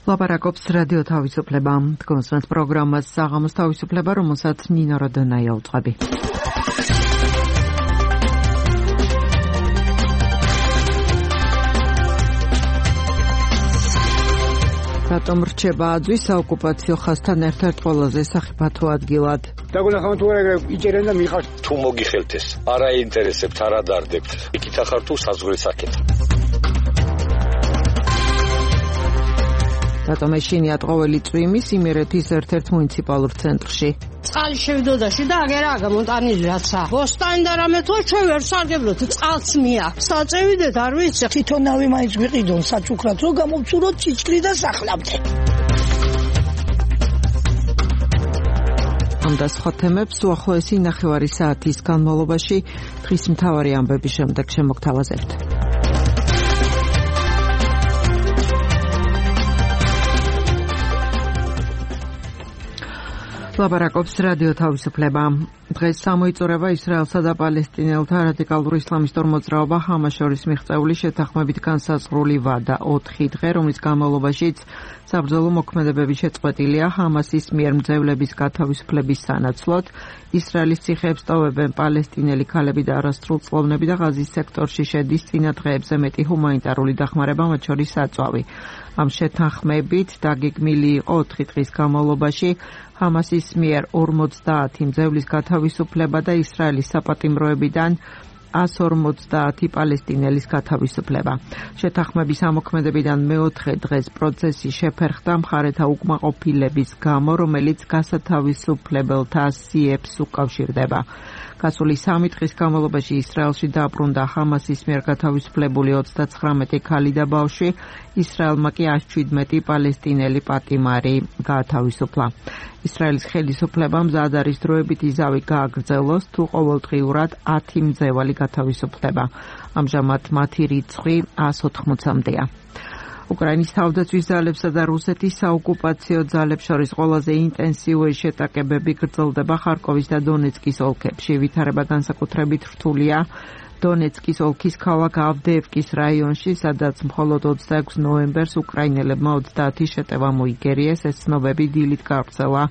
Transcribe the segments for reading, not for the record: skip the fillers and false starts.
ლაპარაკობს რადიო თავისუფლება. კონსტანტ პროგრამას საღამოს თავისუფლება, რომელსაც ნინო როდონაია უწყები. რატომ რჩება აძვის საოკუპაციო ხაზთან ერთ-ერთ ყველაზე სახიფათო ადგილად? დაგუნახავთ თუ არა იჭერენ და მიხართ. თუ მოგიხელთ ეს, არა ინტერესებთ, არა დარდებთ. იქით ახარ თუ საზღვრის საკითხი. რატომ ეშინიათ ყოველი წვიმის იმერეთის ერთ-ერთ მუნიციპალურ ცენტრში? წყალი შევდოდაში და აგერა გამოტანილი რაცა. ბოსტანი და რამე თუ ჩვენ ვერ სარგებლობთ, წყალს მიაქვს. საწევიდეთ არ ვიცი. თვითონავი მაინც ვიყიდონ საჩუქრად, რომ გამოვწუროთ ჭიჭკრი და სახლამდე. ამ და სხვა თემებს უახლოესი ნახევარი საათის განმავლობაში დღის მთავარი ამბების შემდეგ შემოგთავაზებთ. ლაპარაკობს რადიო თავისუფლება. დღეს გამოიწურება ისრაელსა და პალესტინელთა რადიკალურ ისლამისტურ მოძრაობა ჰამას შორის მიღწეული შეთანხმებით განსაზღვრული ვადა 4 დღე, რომლის განმავლობაშიც საბრძოლო მოქმედებები შეწყვეტილია ჰამასის მიერ მძევლების გათავისუფლების სანაცვლოდ. ისრაელის ციხეებს ტოვებენ პალესტინელი ქალები და არასრულწლოვნები და ღაზის სექტორში შედის წინა დღეებზე მეტი ჰუმანიტარული დახმარება, მათ შორის საწვავი. ამ შეთანხმებით დაგეგმილი იყო 4 დღის განმავლობაში ჰამასის მიერ 50 მძევლის გათავისუფლება და ისრაელის საპატიმროებიდან 150 პალესტინელის გათავისუფლება. შეთანხმების ამოქმედებიდან მეოთხე დღეს პროცესი შეფერხდა მხარეთა უკმაყოფილების გამო, რომელიც გასათავისუფლებელთა სიებს უკავშირდება. გასული 3 დღის განმავლობაში ისრაელში დაბრუნდა ჰამასის მიერ გათავისუფლებული 39 ქალი და ბავშვი, ისრაელმა კი 117 პალესტინელი პატიმარი გაათავისუფლა. ისრაელის ხელისუფლებამ მზად არის დროებითი ზავი გააგრძელოს, თუ ყოველდღიურად 10 მძევალი გათავისუფლდება. ამჟამად მათი რიცხვი 180-მდეა. უკრაინის თავდაცვის ძალებსა და რუსეთის საოკუპაციო ძალებს შორის ყველაზე ინტენსიური შეტაკებები გრძელდება ხარკოვის და დონეცკის ოლქებში. ვითარება განსაკუთრებით რთულია დონეცკის ოლქის ქალაქ ავდეევკის რაიონში, სადაც მხოლოდ 26 ნოემბერს უკრაინელებმა 30 შეტევა მოიგერიეს. ეს ცნობები დილით გავრცელა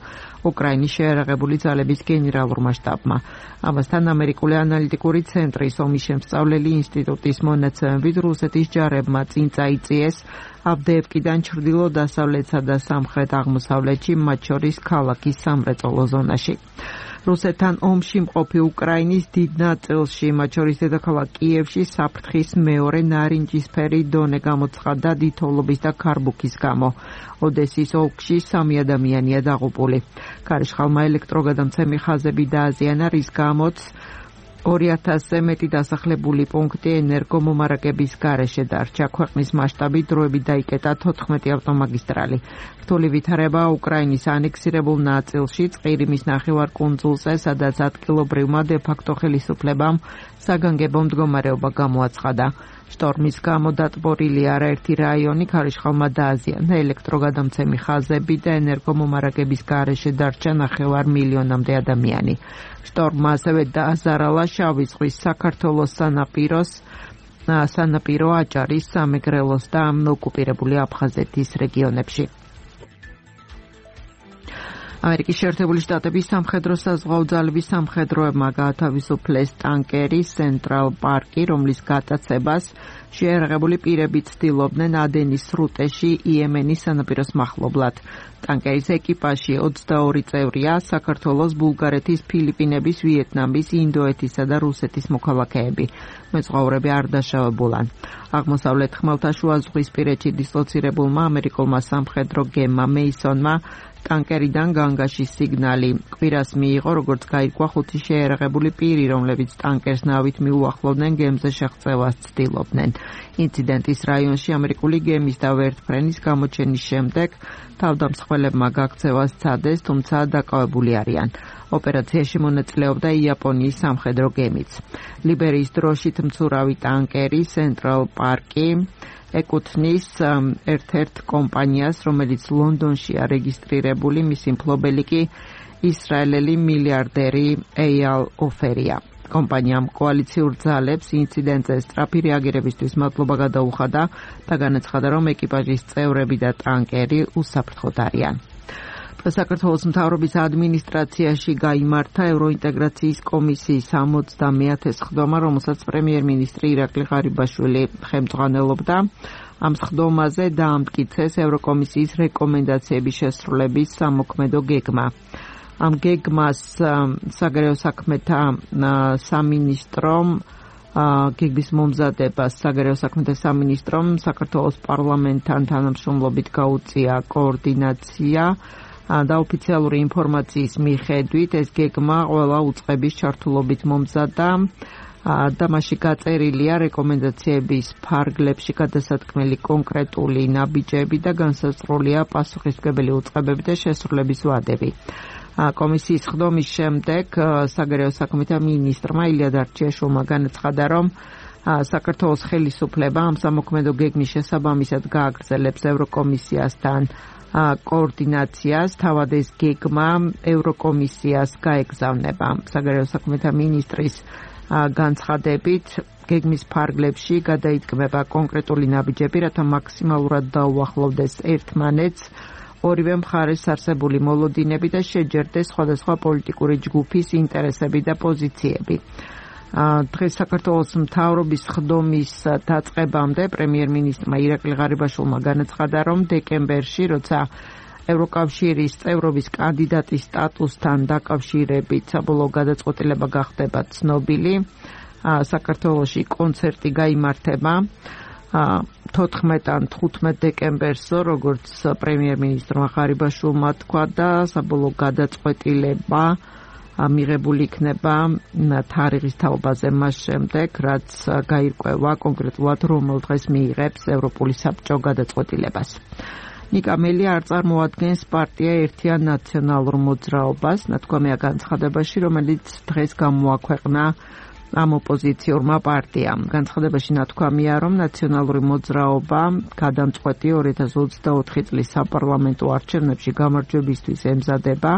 უკრაინის შეიარაღებული ძალების გენერალურმა შტაბმა. ამასთან ამერიკული ანალიტიკური ცენტრის ომის შემსწავლელი ინსტიტუტის მონაცემებით რუსეთის ჯარებმა წინ წაიწიეს ავდეევკიდან ჩრდილო-დასავლეთსა და სამხრეთ-აღმოსავლეთში, მათ შორის ქალაქის სამრეწველო ზონაში. რუსეთთან ომში მყოფი უკრაინის დიდ ნაწილში, მათ შორის დედაქალაქ კიევში, საფრთხის მეორე ნარინჯისფერი დონე გამოცხადდა დიდთოვლობის და ქარბუქის გამო. ოდესის ოლქში 3 ადამიანია დაღუპული. ქარიშხალმა ელექტროგადამცემი ხაზები დააზიანა, რის გამოც 2000-ზე მეტი დასახლებული პუნქტი ენერგომომარაგების გარეშე დარჩა. ქვეყნის მასშტაბით დროებით დაიკეტა 14 ავტომაგისტრალი. რთული ვითარება უკრაინის ანექსირებულ ნაწილში, ყირიმის ნახევარკუნძულზე, სადაც ადგილობრივმა დე-ფაქტო ხელისუფლებამ საგანგებო მდგომარეობა გამოაცხადა. შტორმის გამო დატბორილი არაერთი რაიონი, ქარიშხალმა დააზიანა ელექტროგადამცემი ხაზები და ენერგომომარაგების გარეშე დარჩა 9 მილიონამდე ადამიანი. შტორმმა ასევე დააზარალა შავი ზღვის საქართველოს სანაპირო აჭარის, სამეგრელოს და ოკუპირებული აფხაზეთის რეგიონებში. ამერიკის შეერთებული შტატების სამხედრო-საზღვაო ძალების სამხედროებმა გაათავისუფლეს ტანკერი Central Park-ი, რომლის გატაცებას შეიარაღებული პირები ცდილობდნენ ადენის სრუტეში იემენის სანაპიროს მახლობლად. ტანკერის ეკიპაჟში 22 წევრია საქართველოს, ბულგარეთის, ფილიპინების, ვიეტნამის, ინდოეთისა და რუსეთის მოქალაქეები. მეზღვაურები არ დაშავებულან. აღმოსავლეთ ხმელთაშუაზღვისპირეთში დისლოცირებულმა ამერიკულმა სამხედრო გემმა მეისონმა ტანკერიდან განგაშის სიგნალი კვირას მიიღო, როგორც გაირკვა 5 შეიარაღებული პირი, რომლებიც ტანკერს ნავით მიუახლოვდნენ, გემზე შეღწევას ცდილობდნენ. ინციდენტის რაიონში ამერიკული გემის და ვერტმფრენის გამოჩენის შემდეგ თავდამსხმელებმა გაქცევას სცადეს, თუმცა დაკავებული არიან. ოპერაციაში მონაწილეობდა იაპონიის სამხედრო გემიც. ლიბერიის დროშით მცურავი ტანკერი Central Park-ი ეკუთვნის ერთ-ერთ კომპანიას, რომელიც ლონდონშია რეგისტრირებული, მისი მფლობელი კი ისრაელელი მილიარდერი ეიალ ოფერია. კომპანიამ კოალიციურ ძალებს ინციდენტზე სწრაფი რეაგირებისთვის მადლობა გადაუხადა და განაცხადა, რომ ეკიპაჟის წევრები და ტანკერი უსაფრთხოდ არიან. საქართველოს მთავრობის ადმინისტრაციაში გაიმართა ევროინტეგრაციის კომისიის 60-მე სხდომა, რომელსაც პრემიერ-მინისტრი ირაკლი ღარიბაშვილი ხელმძღვანელობდა. ამ სხდომაზე დაამტკიცეს ევროკომისიის რეკომენდაციების შესრულების სამოქმედო გეგმა. ამ გეგმას საგარეო საქმეთა სამინისტრომ გეგმის მომზადებას საგარეო საქმეთა სამინისტრომ საქართველოს პარლამენტთან თანამშრომლობით გაუწია კოორდინაცია და ოფიციალური ინფორმაციის მიხედვით ეს გეგმა ყველა უწყების ჩართულობით მომზადდა და მასში გაწერილია რეკომენდაციების ფარგლებში გადასათქმელი კონკრეტული ნაბიჯები და განსაზღვრულია პასუხისმგებელი უწყებები და შესრულების ვადები. კომისიის სხდომის შემდეგ საგარეო საქმეთა მინისტრმა ილია დარჩიაშვილმა განაცხადა, რომ საქართველოს ხელისუფლება ამ სამოქმედო გეგმის შესაბამისად გააგრძელებს ევროკომისიასთან კოორდინაციას, თავად ეს გეგმა ევროკომისიას გაეგზავნება. საგარეო საქმეთა მინისტრის განცხადებით გეგმის ფარგლებში გადაიდგმება კონკრეტული ნაბიჯები, რათა მაქსიმალურად დაუახლოვდეს ერთმანეთს ორივე მხარეს არსებული მოლოდინები და შეჯერდეს სხვადასხვა პოლიტიკური ჯგუფის ინტერესები და პოზიციები. დღეს საქართველოს მთავრობის სხდომის დაწყებამდე პრემიერ-მინისტრმა ირაკლი ღარიბაშვილმა განაცხადა, რომ დეკემბერში, როცა ევროკავშირის წევრობის კანდიდატის სტატუსთან დაკავშირებით საბოლოო გადაწყვეტილება გახდება ცნობილი, საქართველოში კონცერტი გაიმართება 14 ან 15 დეკემბერსო, როგორც პრემიერ-მინისტრმა ღარიბაშვილმა თქვა და საბოლოო გადაწყვეტილება მიღებული იქნება თარიღის თაობაზე მას შემდეგ, რაც გაირკვევა კონკრეტულად რომელ დღეს მიიღებს ევროპული საბჭო გადაწყვეტილებას. ნიკა მელი არ წარმოადგენს პარტია ერთიან ნაციონალურ მოძრაობას, ნათქვამია განცხადებაში, რომელიც დღეს გამოაქვეყნა ამ ოპოზიციურმა პარტიამ. განცხადებაში ნათქვამია, რომ ნაციონალური მოძრაობა გადამწყვეტი 2024 წლის საპარლამენტო არჩევნებში გამარჯვებისთვის ემზადება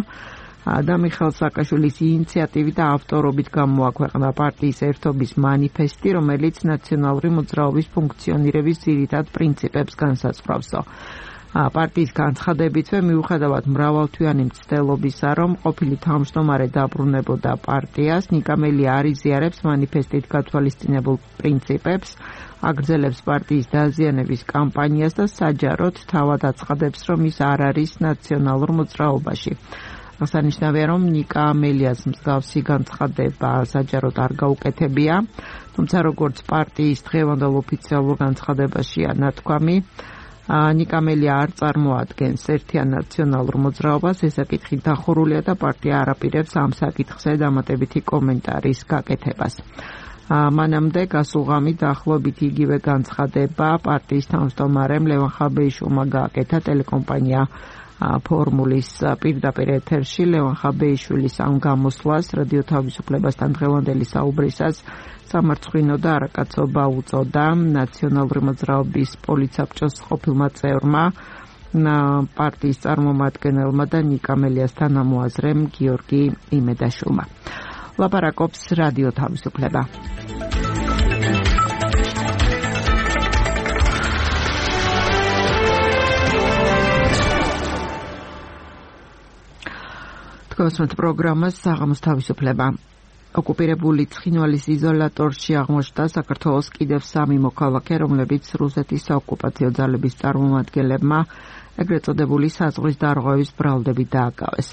და მიხეილ სააკაშვილის ინიციატივით და ავტორობით გამოაქვეყნა პარტიის ერთობის მანიფესტი, რომელიც ნაციონალური მოძრაობის ფუნქციონირების ძირითად პრინციპებს განსაზღვრავსო. პარტიის განცხადებითვე მიუხედავად მრავალთვიანი მცდელობისა, რომ ყოფილი თავმჯდომარე დაბრუნებოდა პარტიას, ნიკა მელი არ იზიარებს მანიფესტით გათვალისწინებულ პრინციპებს, აგრძელებს პარტიის დაზიანების კამპანიას და საჯაროდ თავად აცხადებს, რომ ის არ არის ნაციონალურ მოძრაობაში. აღსანიშნავია, რომ ნიკა მელიას მსგავსი განცხადება საჯაროდ არ გაუკეთებია, თუმცა როგორც პარტიის დღევანდელ ოფიციალურ განცხადებაშია ნათქვამი, ნიკა მელი არ წარმოადგენს ერთიან ნაციონალურ მოძრაობას, ეს საკითხი დახურულია და პარტია არ აპირებს ამ საკითხზე დამატებითი კომენტარის გაკეთებას. მანამდე გასულ ღამით დაახლოებით იგივე განცხადება პარტიის თავმჯდომარემ ლევან ხაბეიშვილმა გააკეთა ტელეკომპანია ფორმულის პირდაპირ ეთერში. ლევან ხაბეიშვილის ამ გამოსვლას რადიო თავისუფლებასთან დღევანდელი საუბრისას სამარცხვინო და არაკაცობა უწოდა ნაციონალური მოძრაობის პოლიცაბჭოს ყოფილმა წევრმა, პარტიის წარმომადგენელმა და ნიკა მელიას თანამოაზრემ გიორგი იმედაშვილმა. ლაპარაკობს რადიო თავისუფლება. თქვენს პროგრამას საღამოს თავისუფლება. ოკუპირებული ცხინვალის იზოლატორში აღმოჩნდა საქართველოს კიდევ 3 მოქალაქე, რომლებიც რუსეთის საოკუპაციო ძალების წარმომადგენლებმა ეგრეთ წოდებული საზღვრის დარღვევის ბრალდებით დააკავეს.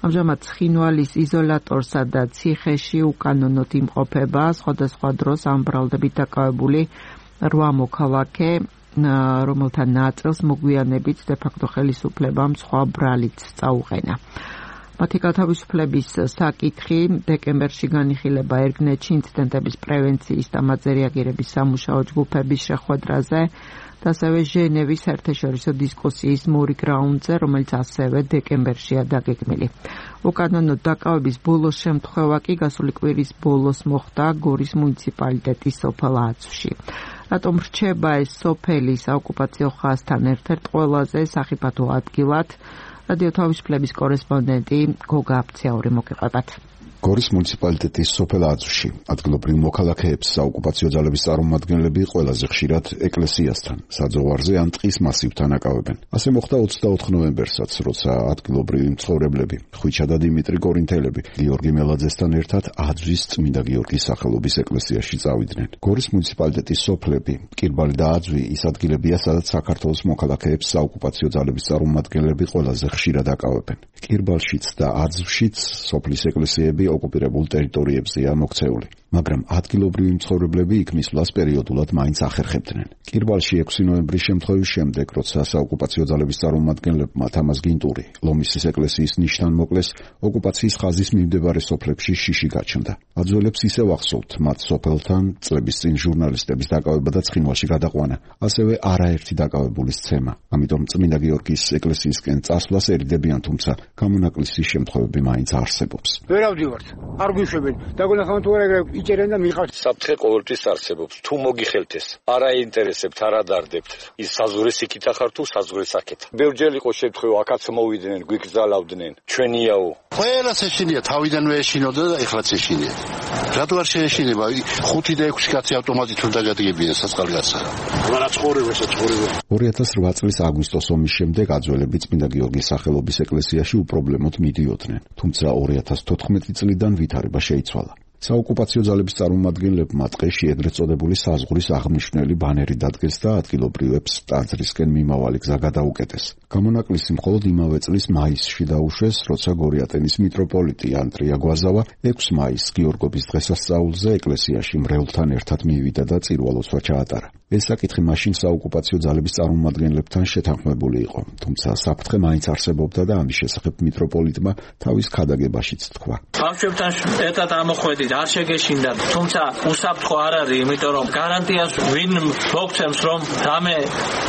ამჟამად ცხინვალის იზოლატორსა და ციხეში უკანონოდ იმყოფება სხვადასხვა დროს ამ ბრალდებით დაკავებული 8 მოქალაქე, რომელთა ნაწილს მოგვიანებით დე-ფაქტო ხელისუფლებამ სხვა ბრალიც წაუყენა. მათი გათავისუფლების საკითხი დეკემბერში განიხილება ერგნეთში ინციდენტების პრევენციის და მათზე რეაგირების სამუშაო ჯგუფების შეხვედრაზე და ასევე ჟენევის საერთაშორისო დისკუსიის მური გრაუნდზე, რომელიც ასევე დეკემბერშია დაგეგმილი. უკანონოდ დაკავების ბოლოს შემთხვევა კი გასული კვირის ბოლოს მოხდა გორის მუნიციპალიტეტის სოფელ აცვში. რატომ რჩება ეს სოფელი საოკუპაციო ხაზთან ერთ-ერთ ყველაზე სახიფათო ადგილად? რადიო თავისუფლების კორესპონდენტი გოგა აფციაური მოგიყვებათ. გორის მუნიციპალიტეტის სოფელ აძვში ადგილობრივ მოქალაქეებს საოკუპაციო ძალების წარმომადგენლები ყველაზე ხშირად ეკლესიასთან, საძოვარზე ან ტყის მასივთან აკავებენ. ასე მოხდა 24 ნოემბერსაც, როცა ადგილობრივი მცხოვრებლები ხვიჩა და დიმიტრი კორინთელები გიორგი მელაძესთან ერთად აძვის წმინდა გიორგის სახელობის ეკლესიაში წავიდნენ. გორის მუნიციპალიტეტის სოფლები, კირბალი და აძვი ის ადგილებია, სადაც საქართველოს მოქალაქეებს საოკუპაციო ძალების წარმომადგენლები ყველაზე ხშირად აკავებენ. კირბალშიც და აძვშიც სოფლის ეკლესიები ოკუპირებულ ტერიტორიებზეა მოქცეული, მაგრამ ადგილობრივი მცხოვრებლები იქ მისვლას პერიოდულად მაინც ახერხებდნენ. კირბალში 6 ნოემბრის შემთხვევის შემდეგ, როცა საოკუპაციო ძალების წარმომადგენლებმა თამაზ გინტური ლომისის ეკლესიის ნიშთან მოკლეს, ოკუპაციის ხაზის მიმდებარე სოფლებში შიში გაჩნდა. აძველებს ისევ ახსოვთ მათ სოფელთან წლების წინ ჟურნალისტების დაკავება და ცხინვალში გადაყვანა, ასევე არაერთი დაკავებული სცემა. ამიტომ წმინდა გიორგის ეკლესიისკენ წასვლას ერიდებიან, თუმცა გამონაკლისის შემთხვევები მაინც არსებობს. ვერ ავდივართ, არ გვიშვებენ. დაგონახავთ თუ არა იჭერენ და მიყავთ. საფრთხე ყოველთვის არსებობს. თუ მოგიხელთ ეს, არ აინტერესებთ, არ ადარდებთ. ის საზღვრეს იქით ახარ თუ საზღვრეს აქეთ. ბევრჯერ იყო შემთხვევა, აქაც მოვიდნენ, გვიგზავნდნენ. ჩვენიაო. ყველას ეშინია, თავიდანვე ეშინოდა და ეხლაც ეშინია. რატო არ შეეშინება? 5 და 6 კაცი ავტომატით უნდა დაგადგებიან საწყალგასა. მაგრამ ცხოვრებასა ცხოვრება. 2008 წლის აგვისტოს ომის შემდეგ აძველები წმინდა გიორგის სახელობის ეკლესიაში უპრობლემოდ მიდიოდნენ, თუმცა 2014 წლიდან ვითარება შეიცვალა. საოკუპაციო ძალების წარმომადგენლებმა ტყეში ეგრეთ წოდებული საზღვრის აღმნიშვნელი ბანერი დადგეს და ადგილობრივებს ტაძრისკენ მიმავალი გზა გადაუკეტეს. გამონაკლისი მხოლოდ იმავე წლის მაისში დაუშვეს, როცა გორიატენის მიტროპოლიტი ანტრია გვაზავა 6 მაისს გიორგობის დღესასწაულზე ეკლესიაში მრევლთან ერთად მივიდა და წირვალოცვა ჩაატარა. ეს საკითხი მაშინ საოკუპაციო ძალების წარმომადგენლებთან შეთანხმებული იყო, თუმცა საფრთხე მაინც არსებობდა და ამის შესახებ მიტროპოლიტმა თავის ქადაგებაშიც თქვა. ბავშვებთან ერთად ამოხვედით, არ შეგეშინდათ, თუმცა უსაფრთხო არ არის, იმიტომ რომ გარანტიას ვინ მოგცემს, რომ რამე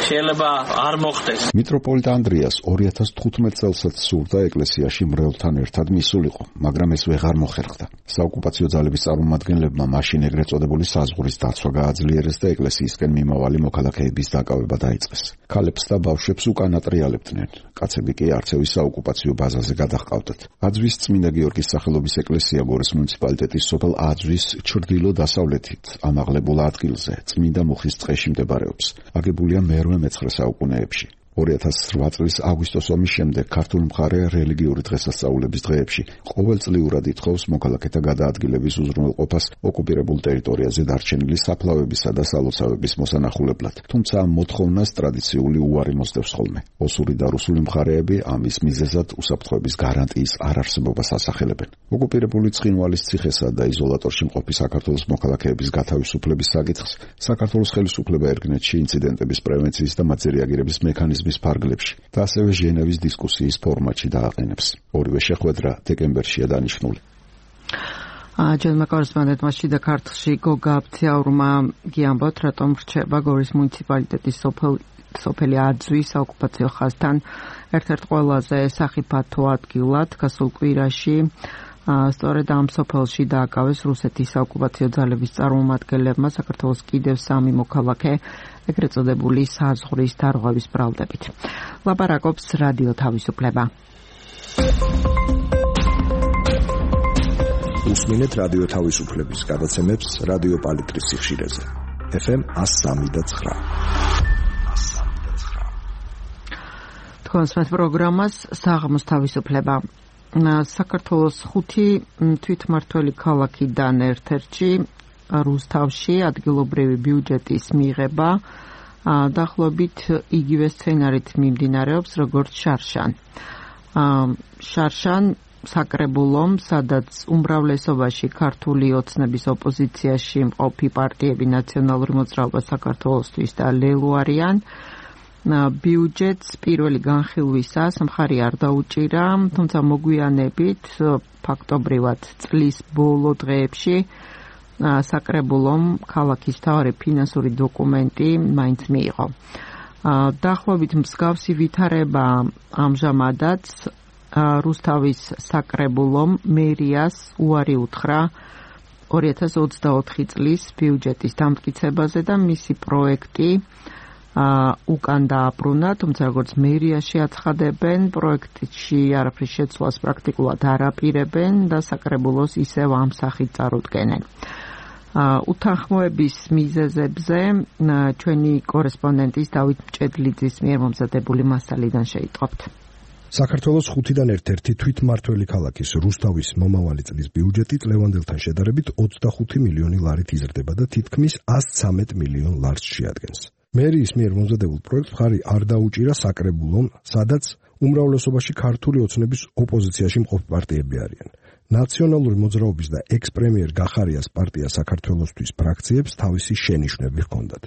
შეიძლება არ მოხდეს. მიტროპოლიტ ანდრიას 2015 წელსაც სურდა ეკლესიაში მრევლთან ერთად მისულიყო, მაგრამ ეს ვეღარ მოხერხდა. საოკუპაციო ძალების წარმომადგენლებმა მაშინ ეგრეთ წოდებული საზღვრის დაცვა გააძლიერეს და ეკლესიისკენ მიმავალი მოქალაქეების დაკავება დაიწყეს. ქალებს და ბავშვებს უკან ატრიალებდნენ. კაცები კი არცევის საოკუპაციო ბაზაზე გადაჰყავდათ. აძვის წმინდა გიორგის სახელობის ეკლესია გორის მუნიციპალიტეტის სოფელ აძვის ჩრდილო-დასავლეთით ამაღლებულ ადგილზე, წმინდა მუხის ტყეში მდებარეობს. აგებულია მე-19 საუკუნეებში. 2008 წლის აგვისტოს ომის შემდეგ ქართულ მხარე რელიგიური დღესასწაულების დღეებში ყოველწლიურად ითხოვს მოქალაქეთა გადაადგილების უზრუნველყოფას ოკუპირებულ ტერიტორიაზე დარჩენილი საფლავებისა და სალოცავების მოსანახულებლად. თუმცა ამ მოთხოვნას ტრადიციული უარი მოსდევს ხოლმე. ოსური და რუსული მხარეები ამის მიზეზად უსაფრთხოების გარანტიის არარსებობას ასახელებენ. ოკუპირებული ცხინვალის ციხესა და იზოლატორში მყოფი საქართველოს მოქალაქეების გათავისუფლების საკითხს საქართველოს ხელისუფლება ერგნეთში ინციდენტების პრევენციის და მათზე რეაგირების მექანიზმის ფარგლებში და ასევე ჟენევის დისკუსიის ფორმატში დააყენებს. ორივე შეხვედრა დეკემბერშია დანიშნული. ჯერმა კორესპონდენტმა შიდა ქართლში გოგა აბციაურმა გიამბოთ, რატომ რჩება გორის მუნიციპალიტეტის სოფელი აძვის საოკუპაციო ხაზთან ერთ-ერთ ყველაზე სახიფათო ადგილად გასულ კვირაში. სწორედ ამ სოფელში დააკავეს რუსეთის საოკუპაციო ძალების წარმომადგენლებმა საქართველოს კიდევ 3 მოქალაქე ეგრეთ წოდებული საზღვრის დარღვევის ბრალდებით. ლაპარაკობს რადიო თავისუფლება. უსმინეთ რადიო თავისუფლების გადაცემებს რადიო პალიტრის სიხშირეზე. FM 103.9. თქვენს პროგრამას საღამოს თავისუფლება. საქართველოს 5 თვითმმართველი ქალაქიდან ერთ-ერთში რუსთავში ადგილობრივი ბიუჯეტის მიღება დაახლოებით იგივე სცენარით მიმდინარეობს როგორც შარშან. შარშან საკრებულომ, სადაც უმრავლესობაში ქართული ოცნების ოპოზიციაში მყოფი პარტიები ნაციონალური მოძრაობა საქართველოსთვის და ლელო არიან, ბიუჯეტს პირველი განხილვისას მხარი არ დაუჭირა, თუმცა მოგვიანებით ფაქტობრივად წლის ბოლო დღეებში საკრებულომ ქალაქის მთავარი ფინანსური დოკუმენტი მაინც მიიღო. დაახლოებით მსგავსი ვითარება ამჟამადაც რუსთავის საკრებულომ მერიას უარი უთხრა 2024 წლის ბიუჯეტის დამტკიცებაზე და მისი პროექტი უკან დააბრუნა, თუმცა როგორც მერიაში აცხადებენ, პროექტში არაფრის შეცვლას პრაქტიკულად არ აპირებენ და საკრებულოს ისევ ამ სახით წარუდგენენ. უთანხმოების მიზეზებზე ჩვენი კორესპონდენტის დავით მჭედლიძის მიერ მომზადებული მასალიდან შეიტყობთ. საქართველოს 5-დან ერთ-ერთი თვითმმართველი ქალაქის რუსთავის მომავალი წლის ბიუჯეტი წლევანდელთან შედარებით 25 მილიონი ლარით იზრდება და თითქმის 113 მილიონ ლარს შეადგენს. მერიის მიერ მომზადებულ პროექტს მხარი არ დაუჭირა საკრებულომ, სადაც უმრავლესობაში ქართული ოცნების ოპოზიციაში მყოფი პარტიები არიან. ნაციონალური მოძრაობის და ექს-პრემიერ გახარიას პარტია საქართველოსთვის ფრაქციებს თავისი შენიშვნები ჰქონდათ.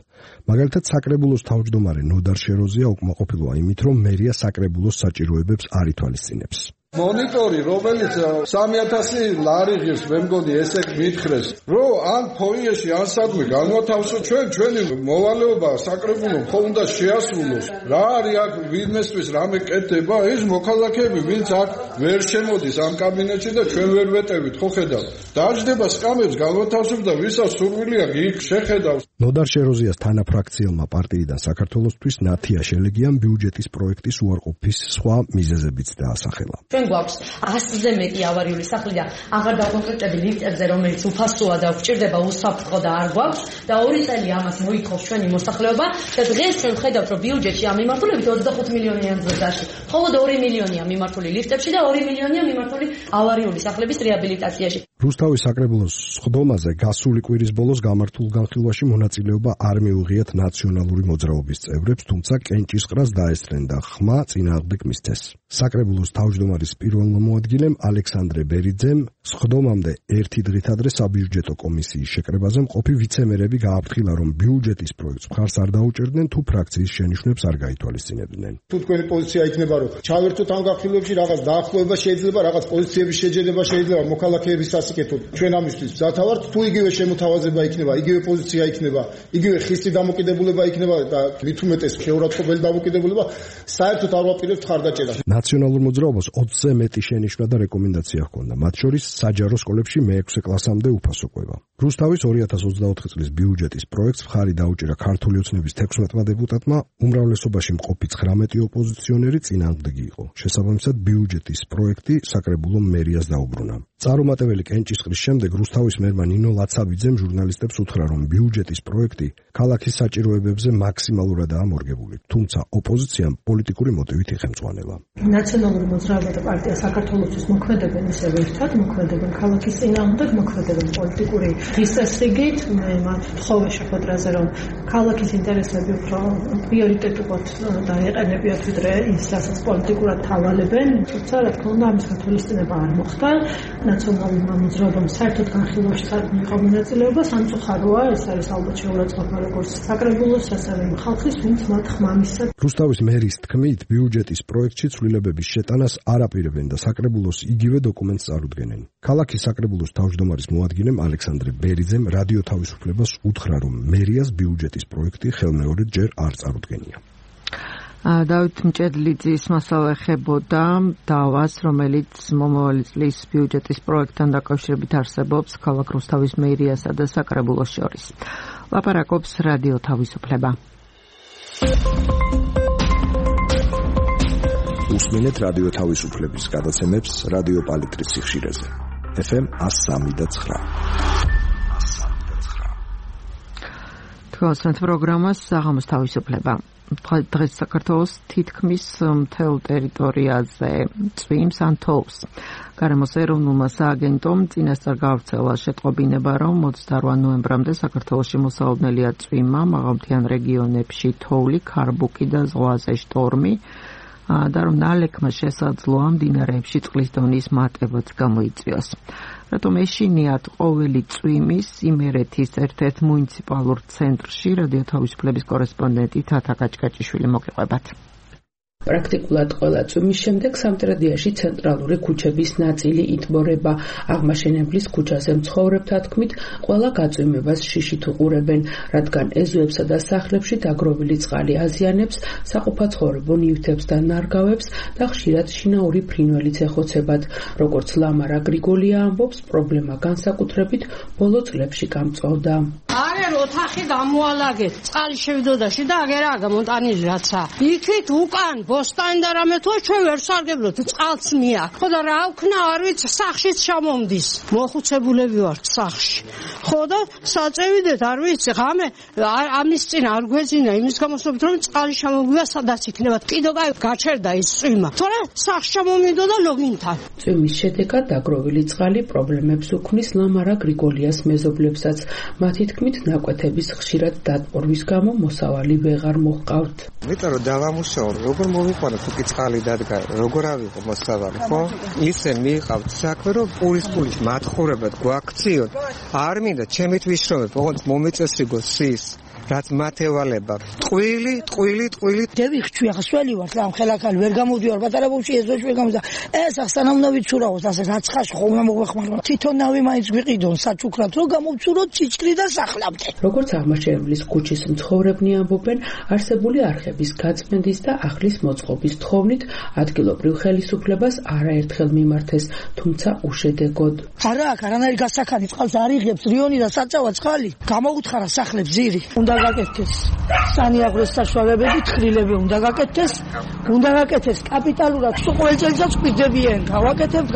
მაგალითად, საკრებულოს თავმჯდომარე ნოდარ შეროზია უკმაყოფილოა იმით, რომ მერია საკრებულოს საჭიროებებს არ ითვალისწინებს. მონიტორი, რომელიც 3000 ლარი ღირს, მე მგონი ესე მითხრეს, რომ ან ფოიეში, ან სადმე განვათავსო ჩვენი მოვალეობა საკრებულომ ხო უნდა შეასრულოს. რა არის აქ ვინმესთვის რამე კეთდება, ის მოქალაქეები, ვინც აქ ვერ შემოდის ამ კაბინეტში და ჩვენ ვერ ვეტევით, ხო ხედავთ. დაждდება სკამებს განვათავსებს და ვისაც სურვილი აქვს, იქ შეხედავს. ნოდარ შეროზიას თანაფრაქციელმა პარტიიდან საქართველოსთვის ნათია შელეგიამ ბიუჯეტის პროექტის უარყოფის სხვა მიზეზებიც დაასახელა. გვაქვს 100-ზე მეტი ავარიული სახლი და აღარ დავკონკრეტები ლიფტებზე, რომელიც უფასოა და გვჭირდება უსაფრთხო და არ გვაქვს და 2 წელი ამას მოითხოვს ჩვენი მოსახლეობა და დღეს ჩვენ ხედავთ, რომ ბიუჯეტში ამ მიმართულებით 25 მილიონიან ზრდაში. მხოლოდ 2 მილიონია მიმართული ლიფტებში და 2 მილიონია მიმართული ავარიული სახლების რეაბილიტაციაში. რუსთავის საკრებულოს სხდომაზე გასული კვირის ბოლოს გამართულ განხილვაში მონაწილეობა არ მიუღიათ ნაციონალური მოძრაობის წევრებს, თუმცა კენჭისყრას დაესწრენ და ხმა წინააღმდეგ მისცეს. საკრებულოს თავმჯდომარის პირველ მოადგილემ ალექსანდრე ბერიძემ სხდომამდე ერთი დღით ადრე საბიუჯეტო კომისიის შეკრებაზე მყოფი ვიცემერები გააფრთხილა, რომ ბიუჯეტის პროექტს მხარს არ დაუჭერდნენ თუ ფრაქციის შენიშვნებს არ გაითვალისწინებდნენ. თუ თქვენი პოზიცია იქნება, რომ ჩავერთოთ ამ განხილვებში, რაღაც დაახლოება შეიძლება, რაღაც პოზიციების შეჯერება შეიძლება, მოქალაქეების ასიკეთოთ. ჩვენ ამისთვის მზათა ვართ, თუ იგივე შემოთავაზება იქნება, იგივე პოზიცია იქნება, იგივე ხისტი დამოკიდებულება იქნება და მით უმეტეს შეურაცხყოფელი დამოკიდებულება, საერთოდ არ ვაპირებთ ხარდაჭერას. ნაციონალურ მოძრაობას 20-ზე მეტი შენიშვნა და რეკომენდაცია ჰქონდა, მათ შორის საჯარო სკოლებში მე-6 კლასამდე უფასო კვება. რუსთავის 2024 წლის ბიუჯეტის პროექტს მხარი დაუჭირა ქართული ოცნების 16-მა დეპუტატმა, უმრავლესობაში მყოფი 19 ოპოზიციონერი წინააღმდეგი იყო. შესაბამისად, ბიუჯეტის პროექტი საკრებულომ მერიას დაუბრუნა. წარუმატებელი კენჭისყრის შემდეგ რუსთავის მერმა ნინო ლაცაბიძემ ჟურნალისტებს უთხრა, რომ ბიუჯეტის პროექტი ქალაქის საჭიროებებზე მაქსიმალურადაა მორგებული, თუმცა ოპოზიციამ პოლიტიკური მოტივით იხემწვანება. ნაციონალური მოძრაობა და პარტია საქართველოსთვის მოქმედებენ ისევ ერთად, მოქმედებენ ქალაქის წინააღმდეგ, მოქმედებენ პოლიტიკური დისტრესიგით, მე მათ ვთხოვე შეხვედრაზე, რომ ქალაქის ინტერესები უფრო პრიორიტეტულად დაეყენებიათ, ვიდრე ის, რასაც პოლიტიკურად თავალებენ, თუმცა რა თქმა უნდა ამის გათვალისწინება არ მოხდა. ნაციონალურმა მოძრაობამ საერთოდ განხილვაში არ მიიღო მონაწილეობა, სამწუხაროა, ეს არის ალბათ შეურაცხყოფა როგორც საკრებულოს, ასევე ხალხის, ვინც მათ ხმა მისცეს. რუსთავის მერის თქმით, ბიუჯეტის პროექტში ცვლილებების შეტანას არ აპირებენ და საკრებულოს იგივე დოკუმენტს წარუდგენენ. ქალაქის საკრებულოს თავმჯდომარის მოადგილემ ალექსანდრე ბერიძემ რადიო თავისუფლებას უთხრა, რომ მერიას ბიუჯეტის პროექტი ხელმეორედ ჯერ არ წარუდგენია. დავით მჭედლიძის მასალა ეხებოდა დავას, რომელიც მომავალი წლის ბიუჯეტის პროექტთან დაკავშირებით არსებობს ქალაქ რუსთავის მერიასა და საკრებულოს შორის. ლაპარაკობს რადიო თავისუფლება. უსმინეთ რადიო თავისუფლების გადაცემებს რადიო პალიტრის სიხშირეზე. FM 103.9. თქვენს პროგრამას საღამოს თავისუფლება. დღეს საქართველოს თითქმის მთელ ტერიტორიაზე წვიმს ან თოვს. გარემოს ეროვნულმა სააგენტომ წინასწარ გაავრცელა შეტყობინება, რომ 28 ნოემბრამდე საქართველოში მოსალოდნელია წვიმა, მაღალმთიან რეგიონებში თოვლი, ქარბუკი და ზღვაზე შტორმი. და რომ ნალექმა შესაძლოა მდინარეებში წყლის დონის მატებაც გამოიწვიოს. რატომ ეშინიათ ყოველი წვიმის იმერეთის ერთ-ერთ მუნიციპალურ ცენტრში რადიო თავისუფლების კორესპონდენტი თათა კაჭკაჭიშვილი მოგიყვებათ. პრაქტიკულად ყველა წვიმის შემდეგ სამტრედიაში ცენტრალური ქუჩების ნაწილი იტბორება. აღმაშენებლის ქუჩაზე მცხოვრებთა თქმით, ყველა გაწვიმებას შიშით უყურებენ, რადგან ეზოებსა და სახლებში დაგროვილი წყალი აზიანებს, საყოფაცხოვრებო ნივთებს და ნარგავებს და ხშირად შინაური ფრინველიც ეხოცებათ. როგორც ლამარა გრიგოლია ამბობს, პრობლემა განსაკუთრებით ბოლო წლებში გამწვავდა. არა ოთახი გამოალაგეთ წყალი შევიდოდაში და აგერა გამონტანილი რაცა იქით უკან ბოსტანი და რამე თუ ჩვენ ვერ სარგებლობთ წყალს მია ხო და რა ვქნა არ ვიცი სახშიც ჩამომდის მოხუცებულები ვართ სახში ხო და საწევიდეთ არ ვიცი ღამე ამის წინ არ გვეძინა იმის გამოსობით რომ წყალი ჩამოგვია სადაც იქნება კიდო კაი გაჩერდა ის წვიმა თორე სახში ჩამომიდო და ლოგინთან წვიმის შედეგად დაგროვილი წყალი პრობლემებს უქმნის ლამარა გრიგოლიას მეზობლებსაც მათი თქმით ნაკვეთების ხშირად დატბორვის გამო მოსავალი ვეღარ მოჰყავთ მეტად რომ დავამუშაო როგორ მოვიყვანო თუ კი წყალი დადგა როგორ ავიღო მოსავალი ხო ისე მიიყავთ საქმე რომ პურის მათხოვრებად გვაქციოთ არ მინდა ჩემით ვიშრომებ ოღონდ მომეწესრიგო სის რაც მათევალება ტყვილი დევიხჩი ახსველი ვარ ამ ხელაკალ ვერ გამოდივარ პატარა ბავშვი ეზოში ვერ გამოდა ეს ახსანამნა ვიცურავოთ ასე რაცხაში ხომ უნდა მოგვეხმარო თვითონ ნავი მაინც გვიყიდონ საჩუქრად რომ გამოვცუროთ ციჭკრი და სახლამდე როგორც აღმაშენებლის ქუჩის მცხოვრებნი ამბობენ არსებული არხების გაწმენდის და ახლის მოწყობის თხოვნით ადგილობრივ ხელისუფლებას არაერთხელ მიმართეს თუმცა უშედეგოდ არა აქ არანაირი გასახანი წყალს არ იღებს რიონი და საწავა წყალი გამოუთხარა სახლებს ძირი უნდა გაკეთდეს სანიაღროს საშუალებები თხრილები უნდა გაკეთდეს კაპიტალურად თუ ყოველ წელიწადს გვიდებიან გავაკეთებთ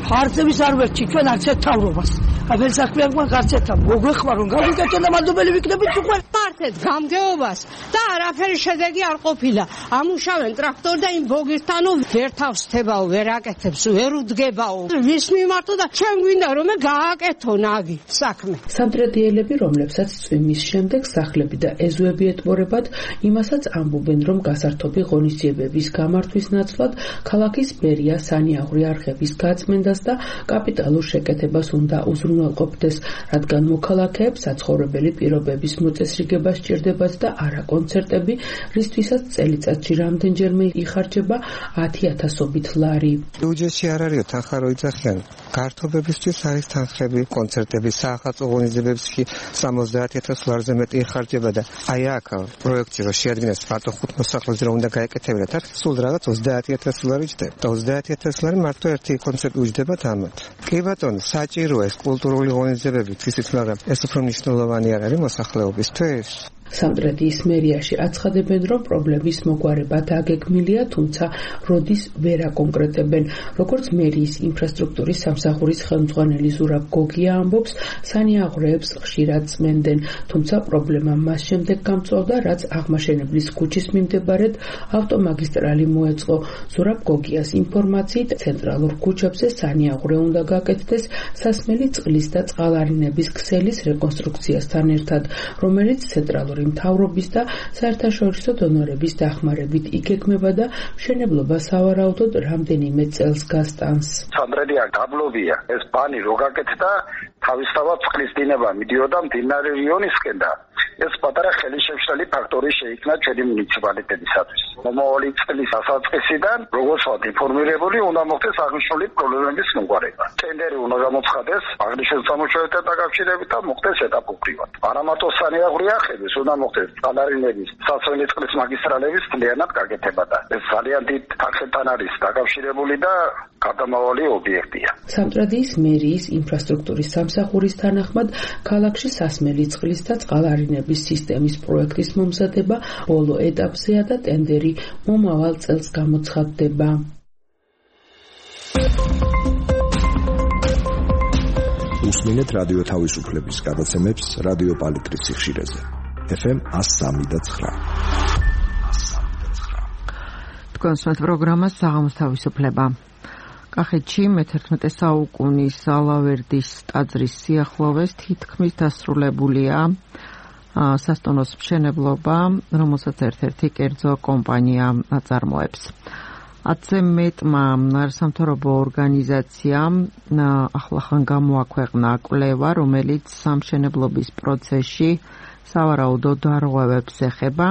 ხარჯების არ ვერჩი ჩვენ არც ერთ თავრობას აბელ საქმეა გვაქვს არც ერთ მოგვეხმარო გავიკეთოთ და მადლობელი ვიქნებით უკვე მართეთ გამგეობას და არაფერი შედეგი არ ყოფილა ამუშავენ ტრაქტორ და იმ ბოგირთანო ვერ თავსთებაო ვერ აკეთებს ვერ უდგებაო ვის მიმართო და ჩვენ გვინდა რომ გააკეთო ნაგი საქმე სამტრედიელები რომლებსაც წვიმის შემდეგ სახლები და ეზოები ეტბორებათ იმასაც ამბობენ რომ გასართობი ღონისძიებების გამართვის ნაცვლად ქალაქის მერია სანიაღვრე არხების გაწმენდას და კაპიტალურ შეკეთებას უნდა უზრუნველყოფდეს რადგან მოქალაქეებს საცხოვრებელი პირობების მოწესრიგება სჭირდებათ და არა კონცერტები რისთვისაც წელიწადში რამდენჯერმე იხარჯება 10,000-ობით ლარი ბიუჯეტში არ არის თანხა რო იძახიან გართობებისთვის არის თანხები კონცერტები საახალწლო ღონისძიებებში 70,000 ლარზე მეტი იხარჯება და აი აქ პროექტი რო შეადგენს მარტო 5 მოსახლეზე რომ უნდა გაეკეთებინათ არ სულ რაღაც 30,000 ლარი ჯდება და 30,000 ლარი მარტო ერთი კონცერტი უჯდებათ ამათ კი ბატონო საჭიროა ეს კულტურული ღონისძიებები ისიც მაგრამ ეს უფრო მნიშვნელოვანი არ არის მოსახლეობისთვის სამტრედიის მერიაში აცხადებენ, რომ პრობლემის მოგვარება დაგეგმილია, თუმცა როდის ვერ აკონკრეტებენ. როგორც მერიის ინფრასტრუქტურის სამსახურის ხელმძღვანელი ზურაბ გოგია ამბობს, სანიაღვრეებს ხშირად წმენდენ, თუმცა პრობლემა მას შემდეგ გამწვავდა, რაც აღმაშენებლის ქუჩის მიმდებარედ ავტომაგისტრალი მოეწყო. ზურაბ გოგიას ინფორმაციით, ცენტრალურ ქუჩებზე სანიაღვრე უნდა გაკეთდეს სასმელი წყლის და წყალარინების ქსელის რეკონსტრუქციასთან ერთად, რომელიც ცენტრალურ მთავრობის და საერთაშორისო დონორების დახმარებით იგეგმება და მშენებლობა სავარაუდოდ რამდენიმე წელს გასტანს. სამტრედია გაბლობია ეს ბანი რო გაკეთდა თავისთავად წყლის დინება მიდიოდა მდინარე რიონისკენ და ეს პატარა ხელისშემშლელი ფაქტორი შეიქმნა ჩვენი მუნიციპალიტეტისათვის. მომავალი წლის დასაწყისიდან როგორც ვართ ინფორმირებული უნდა მოხდეს აღნიშნული პრობლემების მოგვარება. ტენდერი უნდა გამოცხადდეს აღნიშნულ სამუშაოებთან დაკავშირებით და მოხდეს ეტაპობრივად. არამარტო სანიაღვრე არხების უნდა მოხდეს წყალარინების სასვენი წყლის მაგისტრალების მთლიანად გაკეთება და ეს ძალიან დიდ თანხებთან არის დაკავშირებული და გადამავალი ობიექტია. სამტრედიის მერიის ინფრასტრუქტურის სამსახურის თანახმად ქალაქში სასმელი წყლის და წყალარინების სისტემის პროექტის მომზადება ბოლო ეტაპზეა და ტენდერი მომავალ წელს გამოცხადდება. უსმინეთ რადიო თავისუფლების გადაცემებს რადიო პალიტრის სიხშირეზე. FM 103.9. თქვენს პროგრამას საღამოს თავისუფლება. კახეთში მე-11 საუკუნის ალავერდის ტაძრის სიახლოვეს თითქმის დასრულებულია სასტუმროს მშენებლობა, რომელსაც ერთ-ერთი კერძო კომპანია აწარმოებს. 10-ზე მეტმა არასამთავრობო ორგანიზაციამ ახლახან გამოაქვეყნა კვლევა, რომელიც სამშენებლობის პროცესში სავარაუდოდ დარღვევებს ეხება.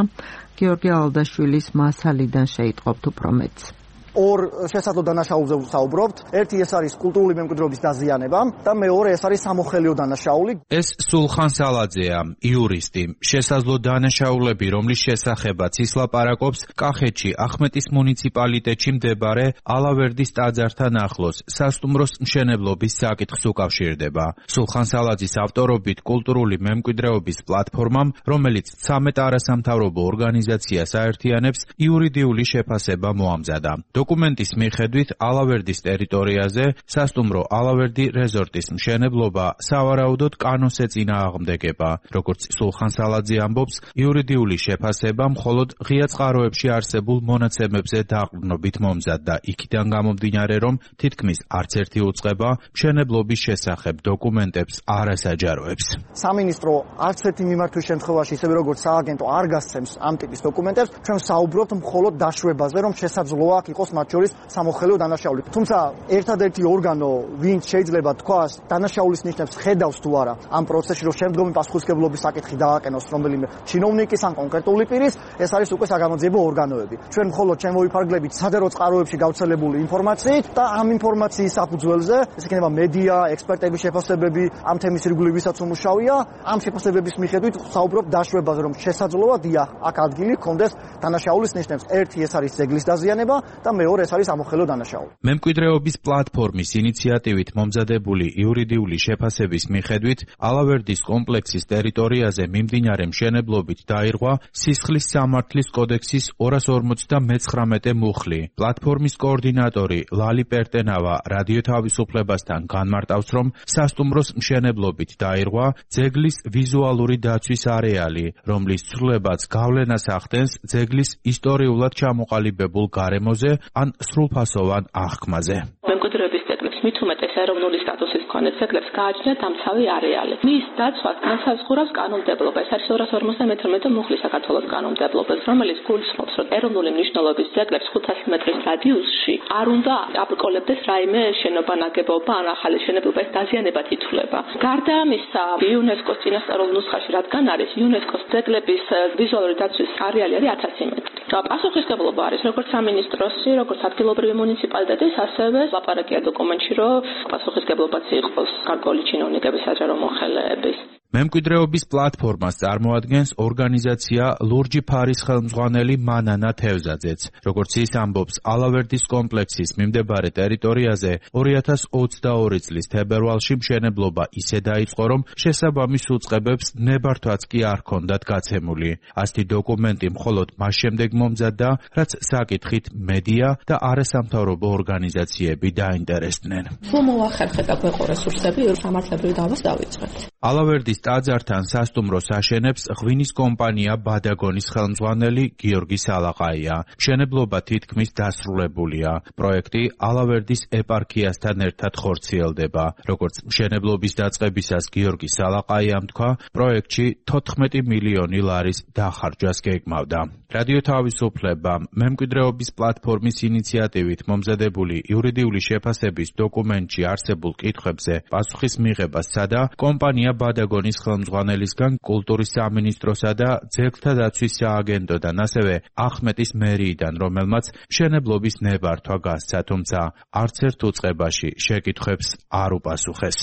გიორგი ალადაშვილის მასალიდან შეიტყობთ უფრო მეტს. ორ შესაძლო დანაშაულზე ვსაუბრობთ. ერთი ეს არის კულტურული მემკვიდრეობის დაზიანება და მეორე ეს არის სამოხელეო დანაშაული. ეს სულხან სალაძეა, იურისტი. შესაძლო დანაშაულები, რომლის შესახებაც ის ლაპარაკობს, კახეთში ახმეტის მუნიციპალიტეტში მდებარე ალავერდის ტაძართან ახლოს სასტუმროს მშენებლობის საკითხს უკავშირდება. სულხან სალაძის ავტორობით კულტურული მემკვიდრეობის პლატფორმამ, რომელიც 13 არასამთავრობო ორგანიზაციას აერთიანებს, იურიდიული შეფასება მოამზადა. დოკუმენტის მიხედვით ალავერდის ტერიტორიაზე სასტუმრო ალავერდი რეზორტის მშენებლობა სავარაუდოდ კანონს ეწინააღმდეგება. როგორც სულხან სალაძე ამბობს, იურიდიული შეფასება მხოლოდ ღია წყაროებში არსებულ მონაცემებზე დაყრდნობით მომზადდა. იქიდან გამომდინარე, რომ თითქმის არც ერთი უწყება მშენებლობის შესახებ დოკუმენტებს არ ასაჯაროებს. სამინისტრო არც ერთი მიმართვის შემთხვევაში, ისევე როგორც სააგენტო არ გასცემს ამ ტიპის დოკუმენტებს, ჩვენ საუბრობთ მხოლოდ დაშვებაზე, რომ შესაძლოა იყოს მათ შორის სამოხელეო დანაშაული. თუმცა ერთადერთი ორგანო, ვინც შეიძლება თქვას, დანაშაულის ნიშნებს ხედავს თუ არა ამ პროცესში, რომ შემდგომი პასუხისმგებლობის საკითხი დააყენოს რომელიმე чиновникის ან კონკრეტული პირის, ეს არის უკვე საგამოძიებო ორგანოები. ჩვენ მხოლოდ შემოვიფარგლებით სადერო წყაროებში გავრცელებული ინფორმაციით და ამ ინფორმაციის საფუძველზე, ეს იქნება მედია, ექსპერტების შეფასებები, ამ თემის ირგვლივ ვისაც უმუშავია, ამ შეფასებების მიხედვით საუბრობ დაშვებაზე, რომ შესაძლოა დიახ, აქ ადგილი ჰქონდეს დანაშაულის ნიშნებს. ერთი ეს არის ძეგლის დაზიანება და მეორე ეს არის ამოხელეო დანაშაული. მემკვიდრეობის პლატფორმის ინიციატივით მომზადებული იურიდიული შეფასების მიხედვით, ალავერდის კომპლექსის ტერიტორიაზე მიმდინარე მშენებლობით დაირღვა სისხლის სამართლის კოდექსის 259 მუხლი. პლატფორმის კოორდინატორი ლალი პერტენავა რადიო თავისუფლებასთან განმარტავს, რომ სასტუმროს მშენებლობით დაირღვა ძეგლის ვიზუალური დაცვის არეალი, რომლის ცვლილებაც გავლენას ახდენს ძეგლის ისტორიულად ჩამოყალიბებულ გარემოზე ან სრულფასოვან აღქმაზე. მემკვიდრეობის ძეგლებს მით უმეტეს ეროვნული სტატუსის მქონე ძეგლებს გააჩნიათ დამცავი არეალი. მის დაცვას განსაზღვრავს კანონმდებლობა. ეს არის 252 მუხლის საქართველოს კანონმდებლობას, რომელიც გულისხმობს, რომ ეროვნული მნიშვნელობის ძეგლებს 500 მეტრის რადიუსში არ უნდა აბრკოლებდეს რაიმე შენობა, ნაგებობა ან ახალი შენობილობა, ეს დაზიანებად ითვლება. გარდა ამისა, იუნესკოს წინასწარ ნუსხაში რადგან არის იუნესკოს ძეგლების ვიზუალური დაცვის არეალი არის 1000 მეტრი. პასუხისმგებლობა არის როგორც სამინისტროსი, როგორც ადგილობრივი მუნიციპალიტეტის, ასევე ლაპარაკია დოკუმენტში, რომ პასუხისმგებლობაც იყოს გარკვეული ჩინოვნიკების, საჯარო მოხელეების. მემკვიდრეობის პლატფორმას წარმოადგენს ორგანიზაცია ლურჯი ფარის ხელმძღვანელი მანანა თევზაძეც. როგორც ის ამბობს, ალავერდის კომპლექსის მიმდებარე ტერიტორიაზე 2022 წლის თებერვალში მშენებლობა ისე დაიწყო, რომ შესაბამის უწყებებს ნებართვაც კი არ ჰქონდათ გაცემული. ასეთი დოკუმენტი მხოლოდ მას შემდეგ მომზადდა, რაც საკითხით მედია და არასამთავრობო ორგანიზაციები დაინტერესდნენ. სულ მოახერხეთ აქვეყო რესურსები, სამართლებრივი დავას დავიწყეთ. ალავერდის ტაძართან სასტუმროს აშენებს ღვინის კომპანია ბადაგონის ხელმძღვანელი გიორგი სალაყაია. მშენებლობა თითქმის დასრულებულია. პროექტი ალავერდის ეპარქიასთან ერთად ხორციელდება. როგორც მშენებლობის დაწყებისას გიორგი სალაყაიამ თქვა, პროექტში 14 მილიონი ლარის დახარჯვას გეგმავდა. რადიო თავისუფლება მემკვიდრეობის პლატფორმის ინიციატივით მომზადებული იურიდიული შეფასების დოკუმენტში არსებულ კითხვებზე პასუხის მიღებას სცადა კომპანია ბადაგონის ხელმძღვანელისგან კულტურის სამინისტროსა და ძეგლთა დაცვის სააგენტოდან, ასევე ახმეტის მერიიდან, რომელმაც მშენებლობის ნებართვა გასცა, თუმცა არც ერთ უწყებაში შეკითხვებს არ უპასუხეს.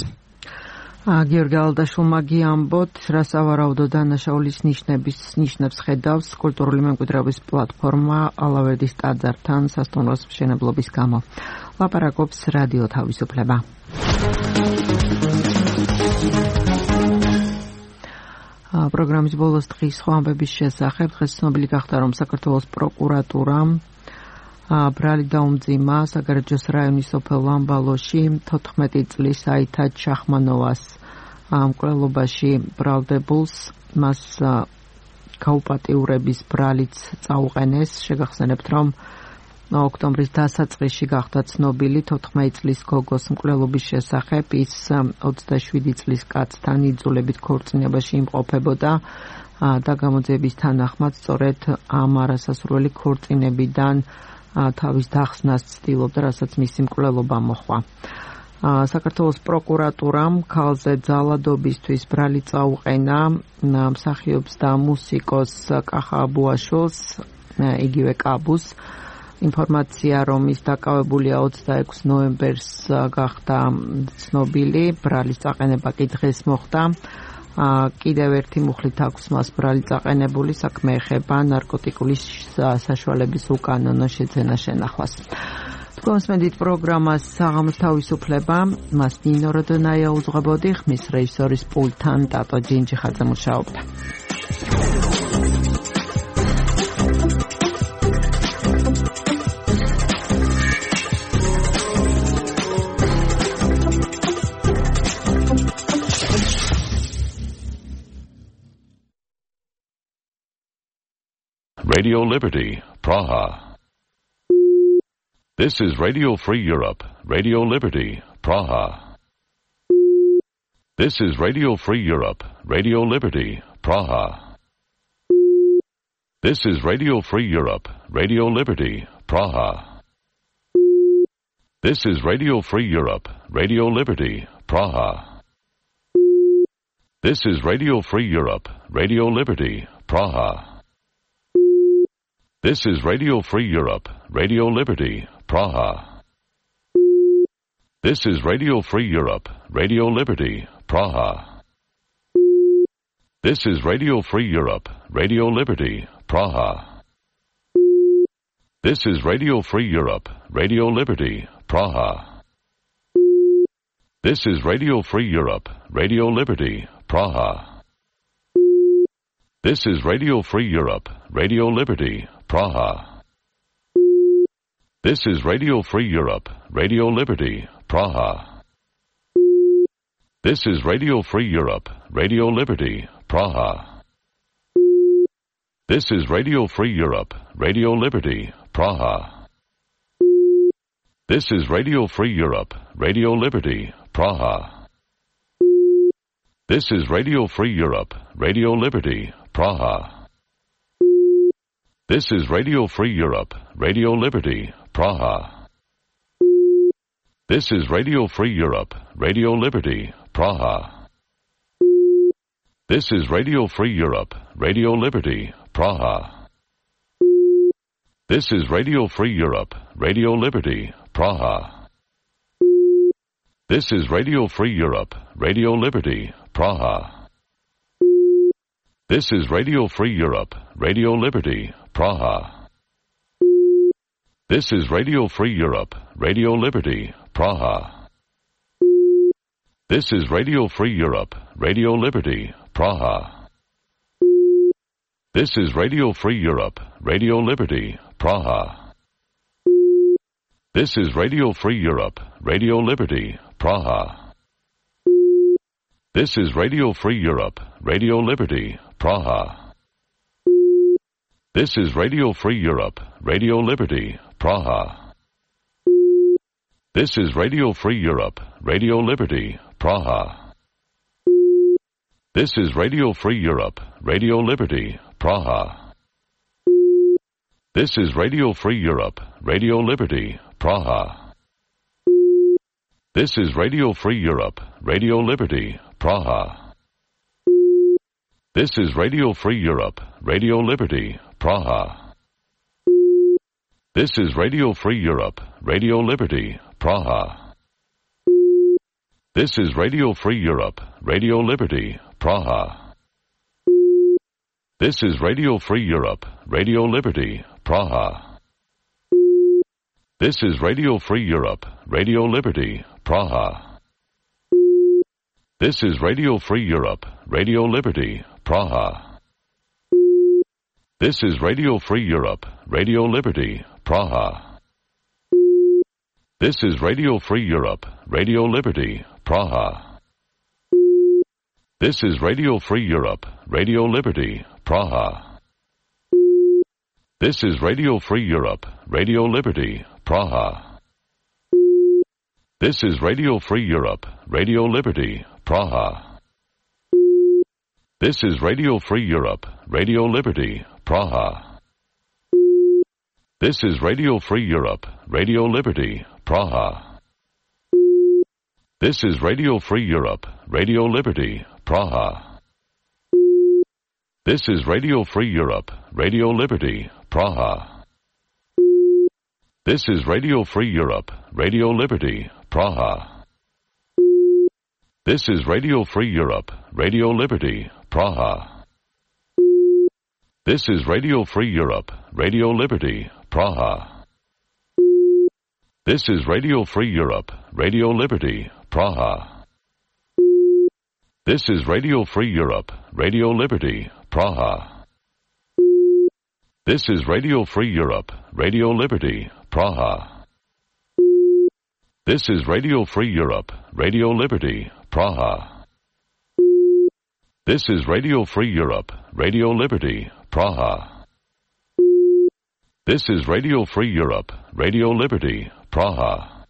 გიორგი ალდაშვილმა გიამბოთ, რა სავარაუდო დანაშაულის ნიშნებს ხედავს კულტურული მემკვიდრეობის პლატფორმა ალავერდის ტაძართან სასტუმროს მშენებლობის გამო. ლაპარაკობს რადიო თავისუფლება. პროგრამის ბოლოს დღის სხვა ამბების შესახებ დღეს ცნობილი გახდა, რომ საქართველოს პროკურატურამ ბრალი დაუმძიმა საგარეჯოს რაიონის სოფელ ლამბალოში 14 წლის აითად შახმანოვას მკვლელობაში ბრალდებულს, მას გაუპატიურების ბრალიც წაუყენეს. შეგახსენებთ, რომ ოქტომბრის დასაწყისში გახდა ცნობილი 14 წლის გოგოს მკვლელობის შესახებ. ის 27 წლის კაცთან იძულებით ქორწინებაში იმყოფებოდა და გამოძიების თანახმად სწორედ ამ არასასურველი ქორწინებიდან თავის დახსნას ცდილობდა, რასაც მისი მკვლელობა მოჰყვა. საქართველოს პროკურატურამ ქალზე ძალადობისთვის ბრალი წაუყენა მსახიობს და მუსიკოს კახა აბუაშვილს, იგივე კაბუს. ინფორმაცია, რომ ის დაკავებულია 26 ნოემბერს გახდა ცნობილი, ბრალის წაყენება კი დღეს მოხდა. კიდევ ერთი მუხლით აქვს მას ბრალი წაყენებული, საქმე ეხება ნარკოტიკული საშუალების უკანონო შეძენა შენახვას. თქვენსმენდით პროგრამას საღამოს თავისუფლება, მას ნინო როდონაია უძღვებოდი, ხმის რეჟისორის პულტთან ტატო ჯინჯიხაძე მუშაობდა. Radio Liberty, Praha. This is Radio Free Europe, Radio Liberty, Praha. This is Radio Free Europe, Radio Liberty, Praha. This is Radio Free Europe, Radio Liberty, Praha. This is Radio Free Europe, Radio Liberty, Praha. This is Radio Free Europe, Radio Liberty, Praha. This is Radio Free Europe, Radio Liberty, Praha. This is Radio Free Europe, Radio Liberty, Praha. This is Radio Free Europe, Radio Liberty, Praha. This is Radio Free Europe, Radio Liberty, Praha. This is Radio Free Europe, Radio Liberty, Praha. This is Radio Free Europe, Radio Liberty, Praha. This is Radio Free Europe, Radio Liberty, Praha. This is Radio Free Europe, Radio Liberty, Praha. This is Radio Free Europe, Radio Liberty, Praha. This is Radio Free Europe, Radio Liberty, Praha. This is Radio Free Europe, Radio Liberty, Praha. This is Radio Free Europe, Radio Liberty, Praha. This is Radio Free Europe, Radio Liberty, Praha. This is Radio Free Europe, Radio Liberty, Praha. This is Radio Free Europe, Radio Liberty, Praha. This is Radio Free Europe, Radio Liberty, Praha. This is Radio Free Europe, Radio Liberty, Praha. This is Radio Free Europe, Radio Liberty, Praha. This is Radio Free Europe, Radio Liberty, Praha. This is Radio Free Europe, Radio Liberty, Praha. This is Radio Free Europe, Radio Liberty, Praha. This is Radio Free Europe, Radio Liberty, Praha. This is Radio Free Europe, Radio Liberty, Praha. This is Radio Free Europe, Radio Liberty, Praha. This is Radio Free Europe, Radio Liberty, Praha. This is Radio Free Europe, Radio Liberty, Praha. This is Radio Free Europe, Radio Liberty, Praha. This is Radio Free Europe, Radio Liberty, Praha. This is Radio Free Europe, Radio Liberty, Praha. This is Radio Free Europe, Radio Liberty, Praha. This is Radio Free Europe, Radio Liberty, Praha. This is Radio Free Europe, Radio Liberty, Praha. This is Radio Free Europe, Radio Liberty, Praha. This is Radio Free Europe, Radio Liberty, Praha. This is Radio Free Europe, Radio Liberty, Praha. This is Radio Free Europe, Radio Liberty, Praha. This is Radio Free Europe, Radio Liberty, Praha. This is Radio Free Europe, Radio Liberty, Praha. This is Radio Free Europe, Radio Liberty, Praha. This is Radio Free Europe, Radio Liberty, Praha. This is Radio Free Europe, Radio Liberty, Praha. This is Radio Free Europe, Radio Liberty, Praha. This is Radio Free Europe, Radio Liberty, Praha. This is Radio Free Europe, Radio Liberty, Praha. This is Radio Free Europe, Radio Liberty, Praha. This is Radio Free Europe, Radio Liberty, Praha. This is Radio Free Europe, Radio Liberty, Praha. This is Radio Free Europe, Radio Liberty, Praha. This is Radio Free Europe, Radio Liberty, Praha. This is Radio Free Europe, Radio Liberty, Praha. This is Radio Free Europe, Radio Liberty, Praha.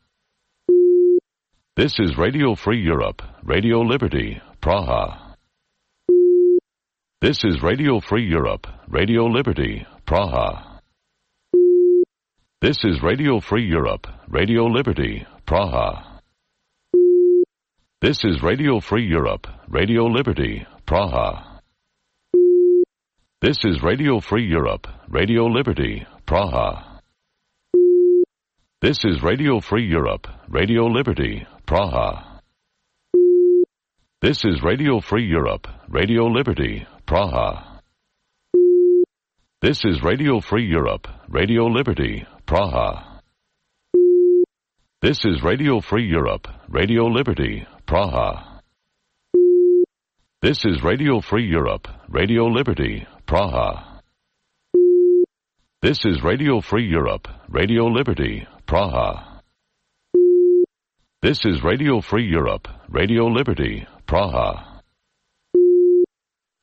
This is Radio Free Europe, Radio Liberty, Praha. This is Radio Free Europe, Radio Liberty, Praha. This is Radio Free Europe, Radio Liberty, Praha. This is Radio Free Europe, Radio Liberty, Praha. This is Radio Free Europe, Radio Liberty, Praha. This is Radio Free Europe, Radio Liberty, Praha. This is Radio Free Europe, Radio Liberty, Praha. This is Radio Free Europe, Radio Liberty, Praha. This is Radio Free Europe, Radio Liberty, Praha. This is Radio Free Europe, Radio Liberty, Praha. This is Radio Free Europe, Radio Liberty, Praha. This is Radio Free Europe, Radio Liberty, Praha.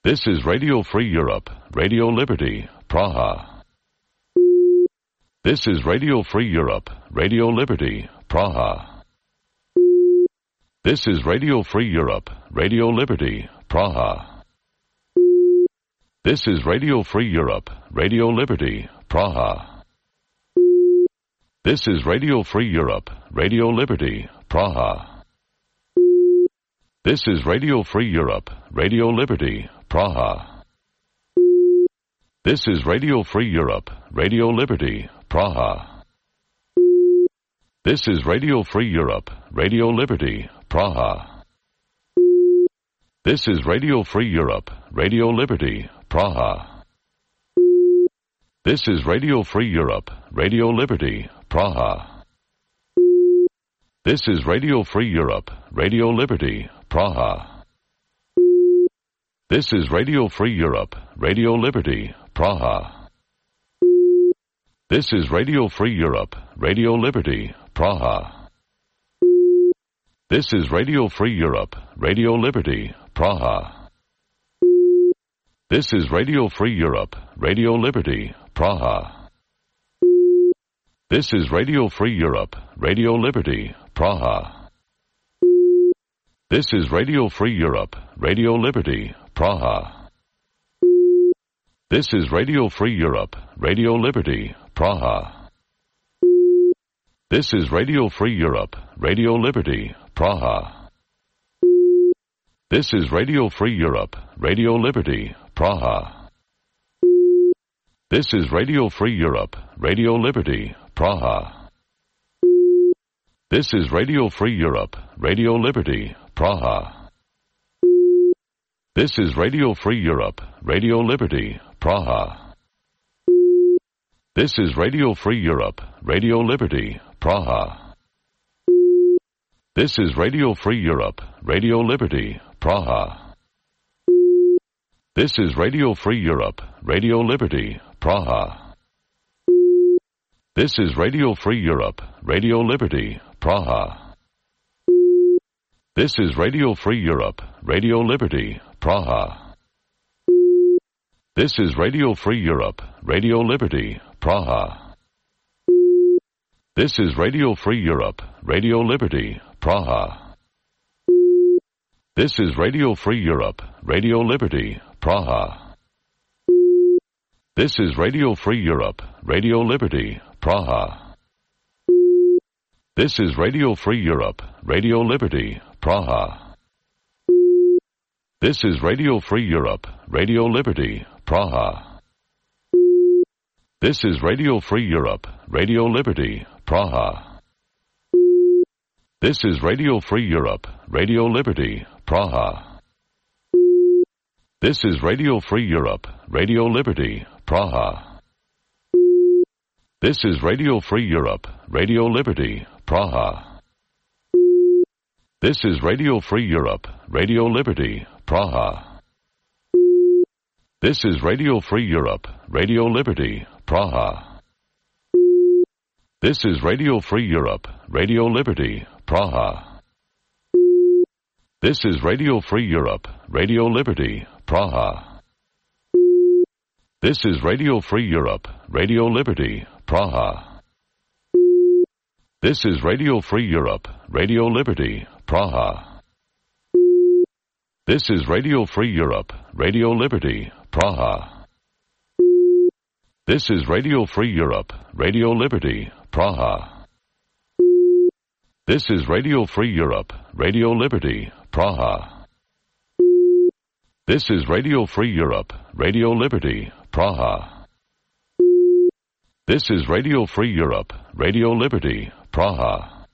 This is Radio Free Europe, Radio Liberty, Praha. This is Radio Free Europe, Radio Liberty, Praha. This is Radio Free Europe, Radio Liberty, Praha. This is Radio Free Europe, Radio Liberty, Praha. This is Radio Free Europe, Radio Liberty, Praha. This is Radio Free Europe, Radio Liberty, Praha. This is Radio Free Europe, Radio Liberty, Praha. This is Radio Free Europe, Radio Liberty, Praha. This is Radio Free Europe, Radio Liberty, Praha. This is Radio Free Europe, Radio Liberty, Praha. This is Radio Free Europe, Radio Liberty, Praha. This is Radio Free Europe, Radio Liberty, Praha. This is Radio Free Europe, Radio Liberty, Praha. This is Radio Free Europe, Radio Liberty, Praha. This is Radio Free Europe, Radio Liberty, Praha. This is Radio Free Europe, Radio Liberty, Praha. This is Radio Free Europe, Radio Liberty, Praha. This is Radio Free Europe, Radio Liberty, Praha. This is Radio Free Europe, Radio Liberty, Praha. This is Radio Free Europe, Radio Liberty, Praha. This is Radio Free Europe, Radio Liberty, Praha. This is Radio Free Europe, Radio Liberty, Praha. This is Radio Free Europe, Radio Liberty, Praha. This is Radio Free Europe, Radio Liberty, Praha. This is Radio Free Europe, Radio Liberty, Praha. This is Radio Free Europe, Radio Liberty, Praha. This is Radio Free Europe, Radio Liberty, Praha. This is Radio Free Europe, Radio Liberty, Praha. This is Radio Free Europe, Radio Liberty, Praha. This is Radio Free Europe, Radio Liberty, Praha. This is Radio Free Europe, Radio Liberty, Praha. This is Radio Free Europe, Radio Liberty, Praha. This is Radio Free Europe, Radio Liberty, Praha. This is Radio Free Europe, Radio Liberty, Praha. This is Radio Free Europe, Radio Liberty, Praha. This is Radio Free Europe, Radio Liberty, Praha. This is Radio Free Europe, Radio Liberty, Praha. This is Radio Free Europe, Radio Liberty, Praha. This is Radio Free Europe, Radio Liberty, Praha. This is Radio Free Europe, Radio Liberty, Praha. This is Radio Free Europe, Radio Liberty, Praha. This is Radio Free Europe, Radio Liberty, Praha. This is Radio Free Europe, Radio Liberty, Praha. This is Radio Free Europe, Radio Liberty, Praha. This is Radio Free Europe, Radio Liberty, Praha. This is Radio Free Europe, Radio Liberty, Praha. This is Radio Free Europe, Radio Liberty, Praha. This is Radio Free Europe, Radio Liberty, Praha. This is Radio Free Europe, Radio Liberty, Praha.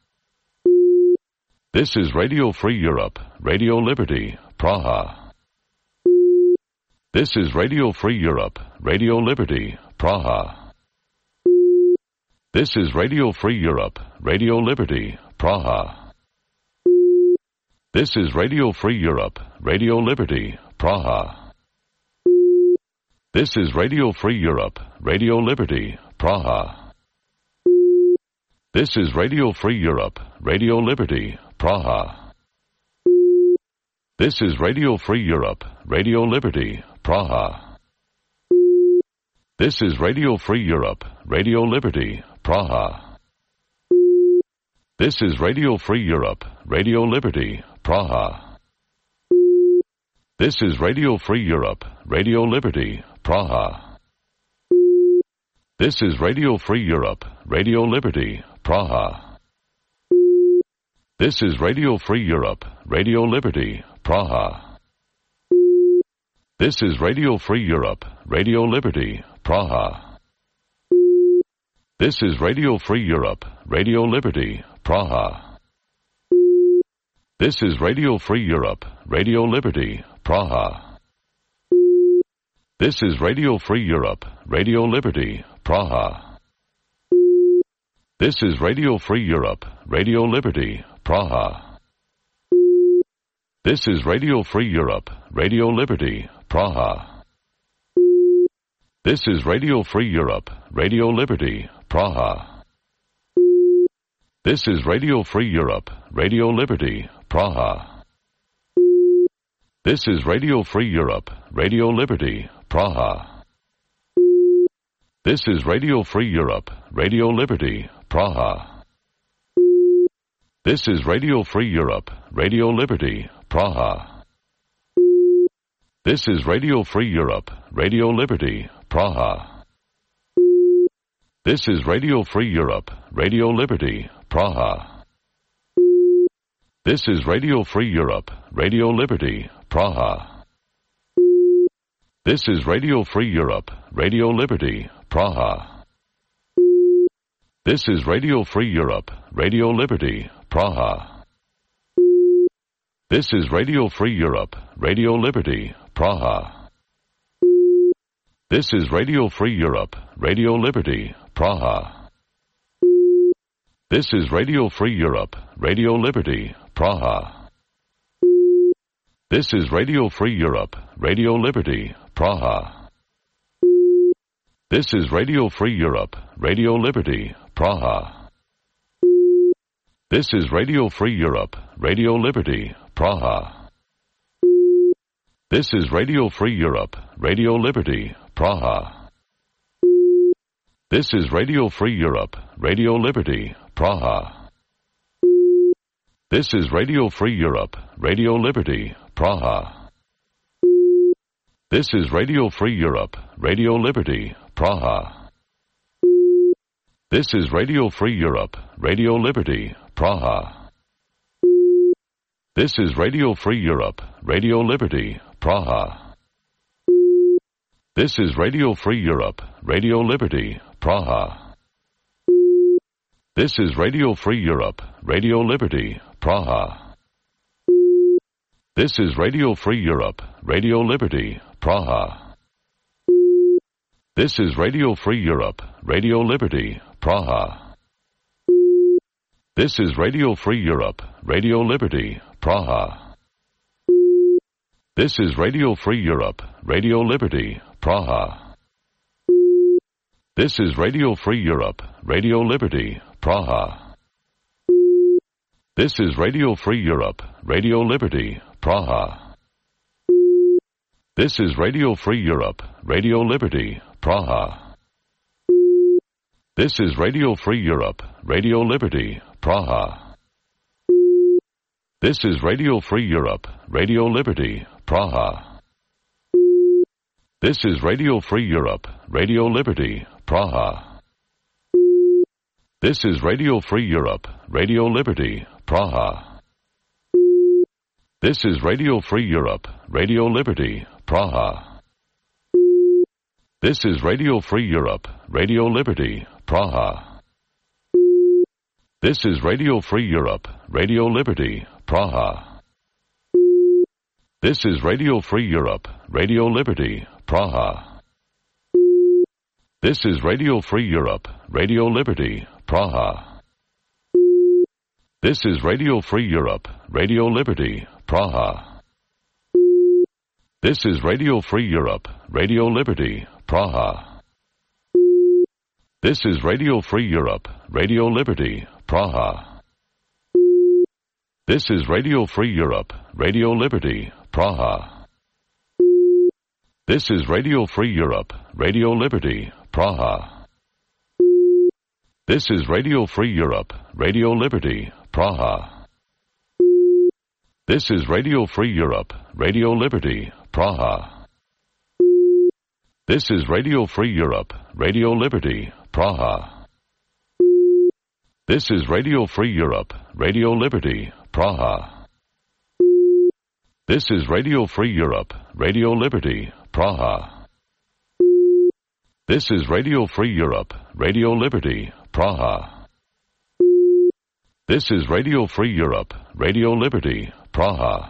This is Radio Free Europe, Radio Liberty, Praha. This is Radio Free Europe, Radio Liberty, Praha. This is Radio Free Europe, Radio Liberty, Praha. This is Radio Free Europe, Radio Liberty, Praha. This is Radio Free Europe, Radio Liberty, Praha. This is Radio Free Europe, Radio Liberty, Praha. This is Radio Free Europe, Radio Liberty, Praha. This is Radio Free Europe, Radio Liberty, Praha. This is Radio Free Europe, Radio Liberty, Praha. This is Radio Free Europe, Radio Liberty, Praha. This is Radio Free Europe, Radio Liberty, Praha. This is Radio Free Europe, Radio Liberty, Praha. This is Radio Free Europe, Radio Liberty, Praha. This is Radio Free Europe, Radio Liberty, Praha. This is Radio Free Europe, Radio Liberty, Praha. This is Radio Free Europe, Radio Liberty, Praha. This is Radio Free Europe, Radio Liberty, Praha. This is Radio Free Europe, Radio Liberty, Praha. This is Radio Free Europe, Radio Liberty, Praha. This is Radio Free Europe, Radio Liberty, Praha. This is Radio Free Europe, Radio Liberty, Praha. This is Radio Free Europe, Radio Liberty, Praha. This is Radio Free Europe, Radio Liberty, Praha. This is Radio Free Europe, Radio Liberty, Praha. This is Radio Free Europe, Radio Liberty, Praha. This is Radio Free Europe, Radio Liberty, Praha. This is Radio Free Europe, Radio Liberty, Praha. This is Radio Free Europe, Radio Liberty, Praha. This is Radio Free Europe, Radio Liberty, Praha. This is Radio Free Europe, Radio Liberty, Praha. This is Radio Free Europe, Radio Liberty, Praha. This is Radio Free Europe, Radio Liberty, Praha. This is Radio Free Europe, Radio Liberty, Praha. This is Radio Free Europe, Radio Liberty, Praha. This is Radio Free Europe, Radio Liberty, Praha. This is Radio Free Europe, Radio Liberty, Praha. This is Radio Free Europe, Radio Liberty, Praha. This is Radio Free Europe, Radio Liberty, Praha. This is Radio Free Europe, Radio Liberty, Praha. This is Radio Free Europe, Radio Liberty, Praha. This is Radio Free Europe, Radio Liberty, Praha. This is Radio Free Europe, Radio Liberty, Praha. This is Radio Free Europe, Radio Liberty, Praha. This is Radio Free Europe, Radio Liberty, Praha. This is Radio Free Europe, Radio Liberty, Praha. This is Radio Free Europe, Radio Liberty, Praha. This is Radio Free Europe, Radio Liberty, Praha. This is Radio Free Europe, Radio Liberty, Praha. This is Radio Free Europe, Radio Liberty, Praha. This is Radio Free Europe, Radio Liberty, Praha. This is Radio Free Europe, Radio Liberty, Praha. This is Radio Free Europe, Radio Liberty, Praha. This is Radio Free Europe, Radio Liberty, Praha. This is Radio Free Europe, Radio Liberty, Praha. This is Radio Free Europe, Radio Liberty, Praha. This is Radio Free Europe, Radio Liberty, Praha. This is Radio Free Europe, Radio Liberty, Praha. This is Radio Free Europe, Radio Liberty, Praha. This is Radio Free Europe, Radio Liberty, Praha. This is Radio Free Europe, Radio Liberty, Praha. This is Radio Free Europe, Radio Liberty, Praha. This is Radio Free Europe, Radio Liberty, Praha. This is Radio Free Europe, Radio Liberty, Praha. This is Radio Free Europe, Radio Liberty, Praha. This is Radio Free Europe, Radio Liberty, Praha. This is Radio Free Europe, Radio Liberty, Praha. This is Radio Free Europe, Radio Liberty, Praha. This is Radio Free Europe, Radio Liberty, Praha. This is Radio Free Europe, Radio Liberty, Praha. This is Radio Free Europe, Radio Liberty, Praha.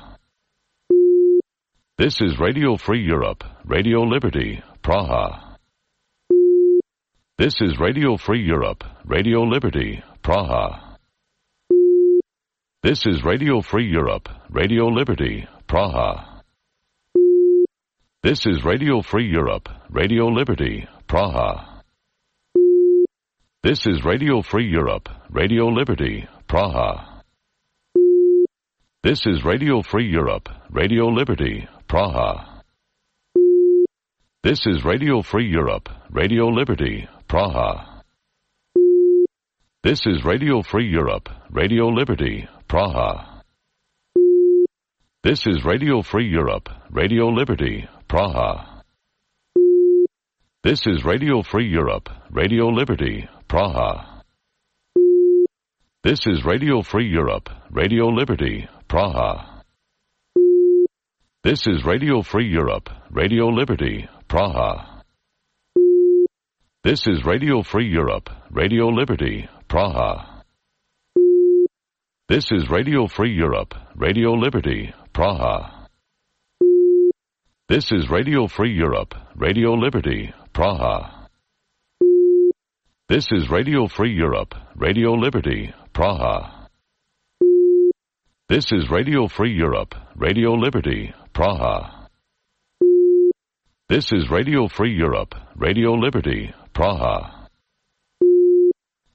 This is Radio Free Europe, Radio Liberty, Praha. This is Radio Free Europe, Radio Liberty, Praha. This is Radio Free Europe, Radio Liberty, Praha. This is Radio Free Europe, Radio Liberty, Praha. This is Radio Free Europe, Radio Liberty, Praha. This is Radio Free Europe, Radio Liberty, Praha. This is Radio Free Europe, Radio Liberty, Praha. This is Radio Free Europe, Radio Liberty, Praha. This is Radio Free Europe, Radio Liberty, Praha. This is Radio Free Europe, Radio Liberty, Praha. This is Radio Free Europe, Radio Liberty, Praha. This is Radio Free Europe, Radio Liberty, Praha. This is Radio Free Europe, Radio Liberty, Praha. This is Radio Free Europe, Radio Liberty, Praha. This is Radio Free Europe, Radio Liberty, Praha. This is Radio Free Europe, Radio Liberty, Praha. This is Radio Free Europe, Radio Liberty, Praha. This is Radio Free Europe, Radio Liberty, Praha.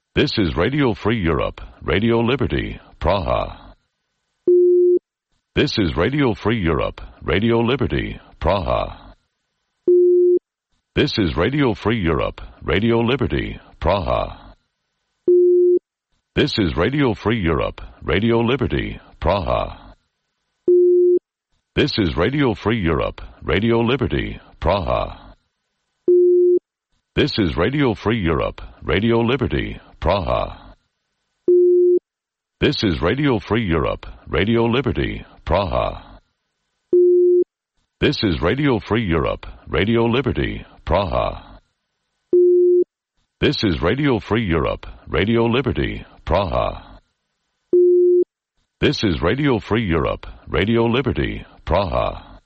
This is Radio Free Europe, Radio Liberty, Praha. This is Radio Free Europe, Radio Liberty, Praha. This is Radio Free Europe, Radio Liberty, Praha. This is Radio Free Europe, Radio Liberty, Praha. This is Radio Free Europe, Radio Liberty, Praha. This is Radio Free Europe, Radio Liberty, Praha. This is Radio Free Europe, Radio Liberty, Praha. This is Radio Free Europe, Radio Liberty, Praha. This is Radio Free Europe, Radio Liberty, Praha. This is Radio Free Europe, Radio Liberty, Praha.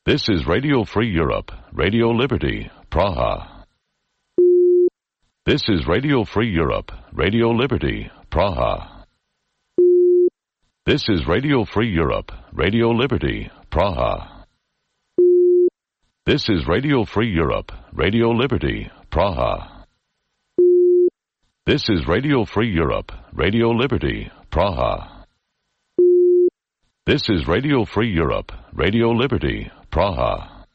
This is Radio Free Europe, Radio Liberty, Praha. This is Radio Free Europe, Radio Liberty, Praha. This is Radio Free Europe, Radio Liberty, Praha. This is Radio Free Europe, Radio Liberty, Praha. This is Radio Free Europe, Radio Liberty, Praha. This is Radio Free Europe, Radio Liberty, Praha.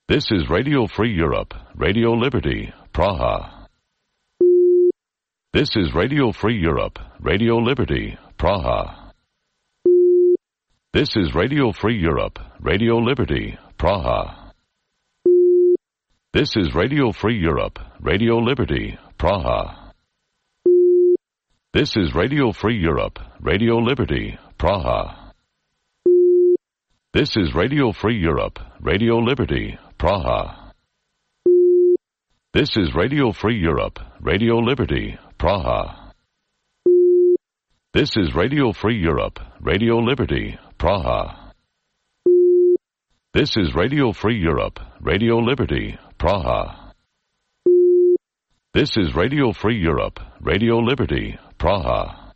This is Radio Free Europe, Radio Liberty, Praha. This is Radio Free Europe, Radio Liberty, Praha. This is Radio Free Europe, Radio Liberty, Praha. This is Radio Free Europe, Radio Liberty, Praha. This is Radio Free Europe, Radio Liberty, Praha. This is Radio Free Europe, Radio Liberty, Praha. This is Radio Free Europe, Radio Liberty, Praha. This is Radio Free Europe, Radio Liberty, Praha. This is Radio Free Europe, Radio Liberty, Praha. This is Radio Free Europe, Radio Liberty, Praha.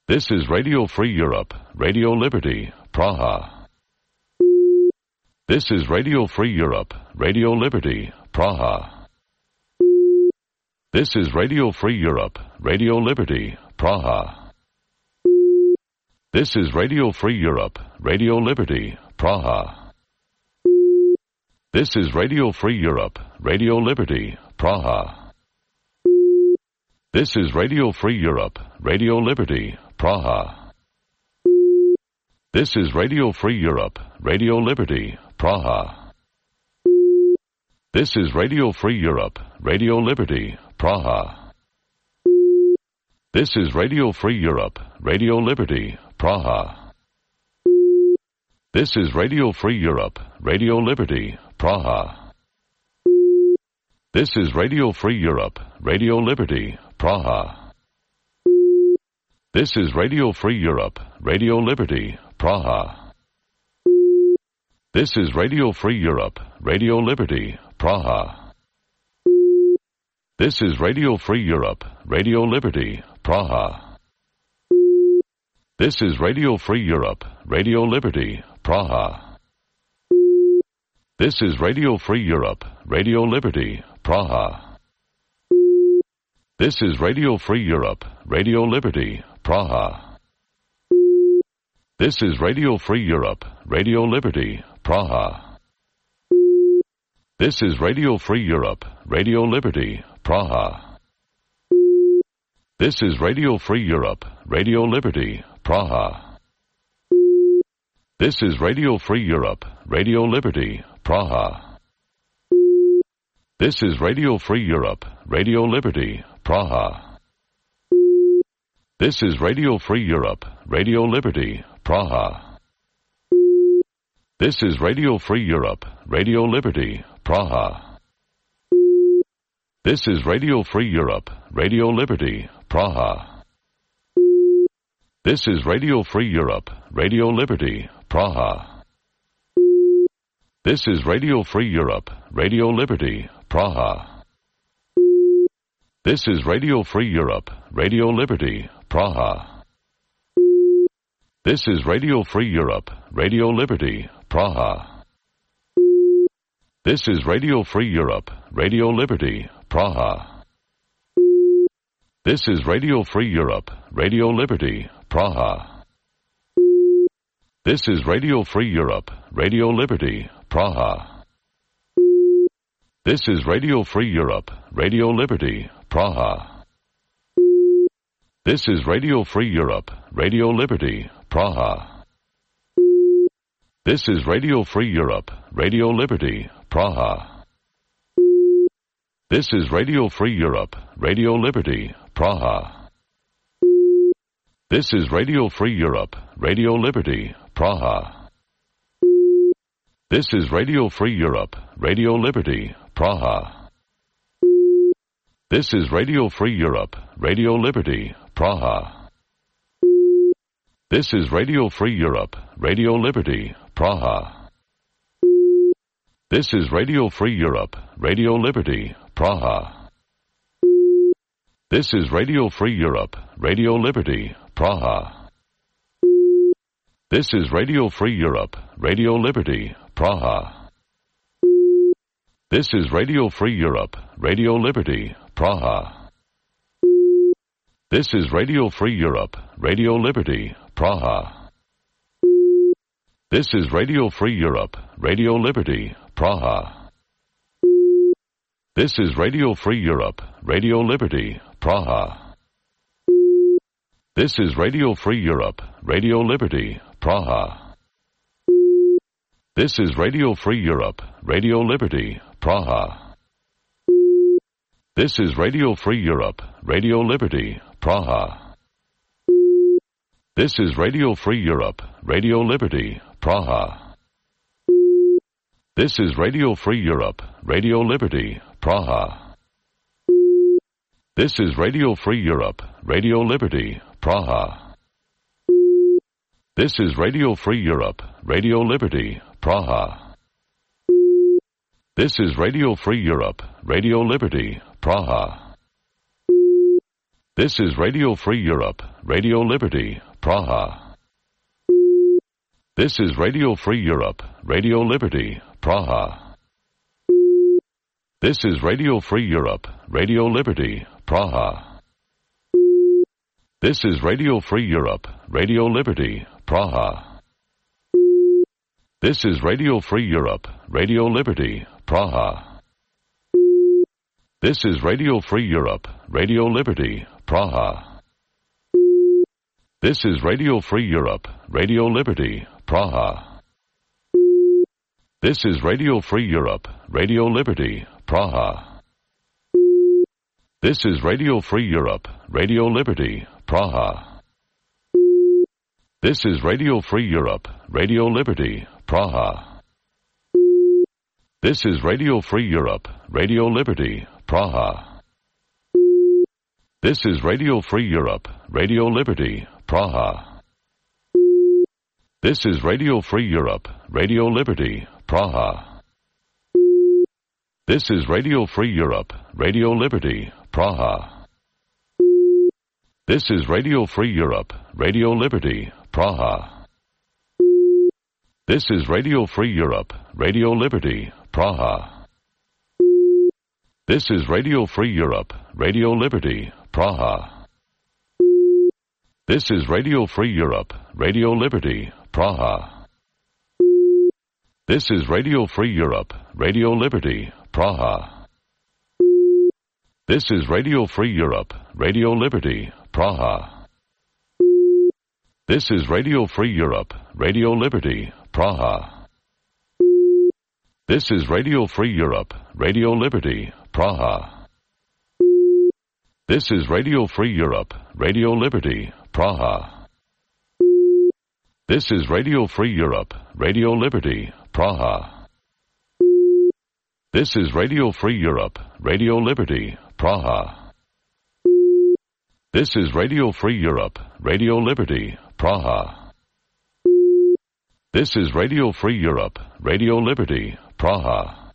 This is Radio Free Europe, Radio Liberty, Praha. This is Radio Free Europe, Radio Liberty, Praha. This is Radio Free Europe, Radio Liberty, Praha. This is Radio Free Europe, Radio Liberty, Praha. This is Radio Free Europe, Radio Liberty, Praha. This is Radio Free Europe, Radio Liberty, Praha. This is Radio Free Europe, Radio Liberty, Praha. This is Radio Free Europe, Radio Liberty, Praha. This is Radio Free Europe, Radio Liberty, Praha. This is Radio Free Europe, Radio Liberty, Praha. This is Radio Free Europe, Radio Liberty, Praha. This is Radio Free Europe, Radio Liberty, Praha. This is Radio Free Europe, Radio Liberty, Praha. This is Radio Free Europe, Radio Liberty, Praha. This is Radio Free Europe, Radio Liberty, Praha. This is Radio Free Europe, Radio Liberty, Praha. This is Radio Free Europe, Radio Liberty, Praha. This is Radio Free Europe, Radio Liberty, Praha. This is Radio Free Europe, Radio Liberty, Praha. This is Radio Free Europe, Radio Liberty, Praha. This is Radio Free Europe, Radio Liberty, Praha. This is Radio Free Europe, Radio Liberty, Praha. This is Radio Free Europe, Radio Liberty, Praha. This is Radio Free Europe, Radio Liberty, Praha. This is Radio Free Europe, Radio Liberty, Praha. This is Radio Free Europe, Radio Liberty, Praha. This is Radio Free Europe, Radio Liberty, Praha. This is Radio Free Europe, Radio Liberty, Praha. This is Radio Free Europe, Radio Liberty, Praha. This is Radio Free Europe, Radio Liberty, Praha. This is Radio Free Europe, Radio Liberty, Praha. This is Radio Free Europe, Radio Liberty, Praha. This is Radio Free Europe, Radio Liberty, Praha. This is Radio Free Europe, Radio Liberty, Praha. This is Radio Free Europe, Radio Liberty, Praha. This is Radio Free Europe, Radio Liberty, Praha. This is Radio Free Europe, Radio Liberty, Praha. This is Radio Free Europe, Radio Liberty, Praha. This is Radio Free Europe, Radio Liberty, Praha. This is Radio Free Europe, Radio Liberty, Praha. This is Radio Free Europe, Radio Liberty, Praha. This is Radio Free Europe, Radio Liberty, Praha. This is Radio Free Europe, Radio Liberty, Praha. This is Radio Free Europe, Radio Liberty, Praha. This is Radio Free Europe, Radio Liberty, Praha. This is Radio Free Europe, Radio Liberty, Praha. This is Radio Free Europe, Radio Liberty, Praha. This is Radio Free Europe, Radio Liberty, Praha. This is Radio Free Europe, Radio Liberty, Praha. This is Radio Free Europe, Radio Liberty, Praha. This is Radio Free Europe, Radio Liberty, Praha. This is Radio Free Europe, Radio Liberty, Praha. This is Radio Free Europe, Radio Liberty, Praha. This is Radio Free Europe, Radio Liberty, Praha. This is Radio Free Europe, Radio Liberty, Praha. This is Radio Free Europe, Radio Liberty, Praha. This is Radio Free Europe, Radio Liberty, Praha. This is Radio Free Europe, Radio Liberty, Praha. This is Radio Free Europe, Radio Liberty, Praha. This is Radio Free Europe, Radio Liberty, Praha. This is Radio Free Europe, Radio Liberty, Praha. This is Radio Free Europe, Radio Liberty, Praha. This is Radio Free Europe, Radio Liberty, Praha. This is Radio Free Europe, Radio Liberty, Praha. This is Radio Free Europe, Radio Liberty, Praha. This is Radio Free Europe, Radio Liberty, Praha. This is Radio Free Europe, Radio Liberty, Praha. This is Radio Free Europe, Radio Liberty, Praha. This is Radio Free Europe, Radio Liberty, Praha. This is Radio Free Europe, Radio Liberty, Praha. This is Radio Free Europe, Radio Liberty, Praha. This is Radio Free Europe, Radio Liberty, Praha. This is Radio Free Europe, Radio Liberty, Praha. This is Radio Free Europe, Radio Liberty, Praha. This is Radio Free Europe, Radio Liberty, Praha. This is Radio Free Europe, Radio Liberty, Praha. This is Radio Free Europe, Radio Liberty, Praha. This is Radio Free Europe, Radio Liberty, Praha. This is Radio Free Europe, Radio Liberty, Praha. This is Radio Free Europe, Radio Liberty, Praha. This is Radio Free Europe, Radio Liberty, Praha. This is Radio Free Europe, Radio Liberty, Praha.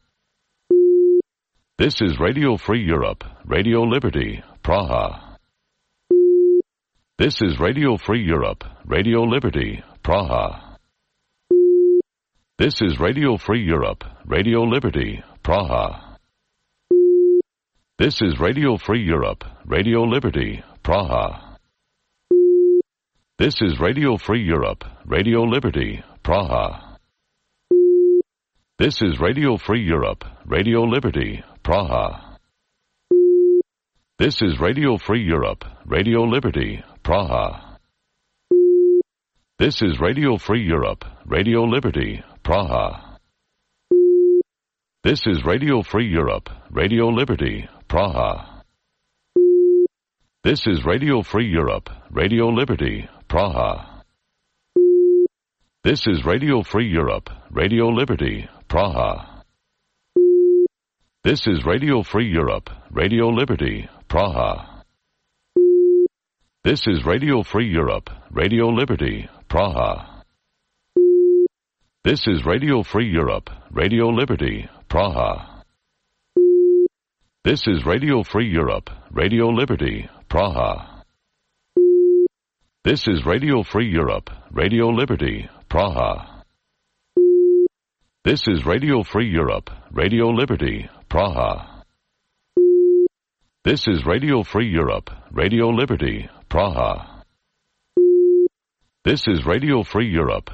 This is Radio Free Europe, Radio Liberty, Praha. This is Radio Free Europe, Radio Liberty, Praha. This is Radio Free Europe, Radio Liberty, Praha. This is Radio Free Europe, Radio Liberty, Praha. This is Radio Free Europe, Radio Liberty, Praha. This is Radio Free Europe, Radio Liberty, Praha. This is Radio Free Europe, Radio Liberty, Praha. This is Radio Free Europe, Radio Liberty, Praha. This is Radio Free Europe, Radio Liberty, Praha. This is Radio Free Europe, Radio Liberty, Praha. This is Radio Free Europe, Radio Liberty, Praha. This is Radio Free Europe, Radio Liberty, Praha. This is Radio Free Europe, Radio Liberty, Praha. This is Radio Free Europe, Radio Liberty, Praha. This is Radio Free Europe, Radio Liberty, Praha. This is Radio Free Europe, Radio Liberty, Praha. This is Radio Free Europe, Radio Liberty, Praha. This is Radio Free Europe, Radio Liberty, Praha. This is Radio Free Europe,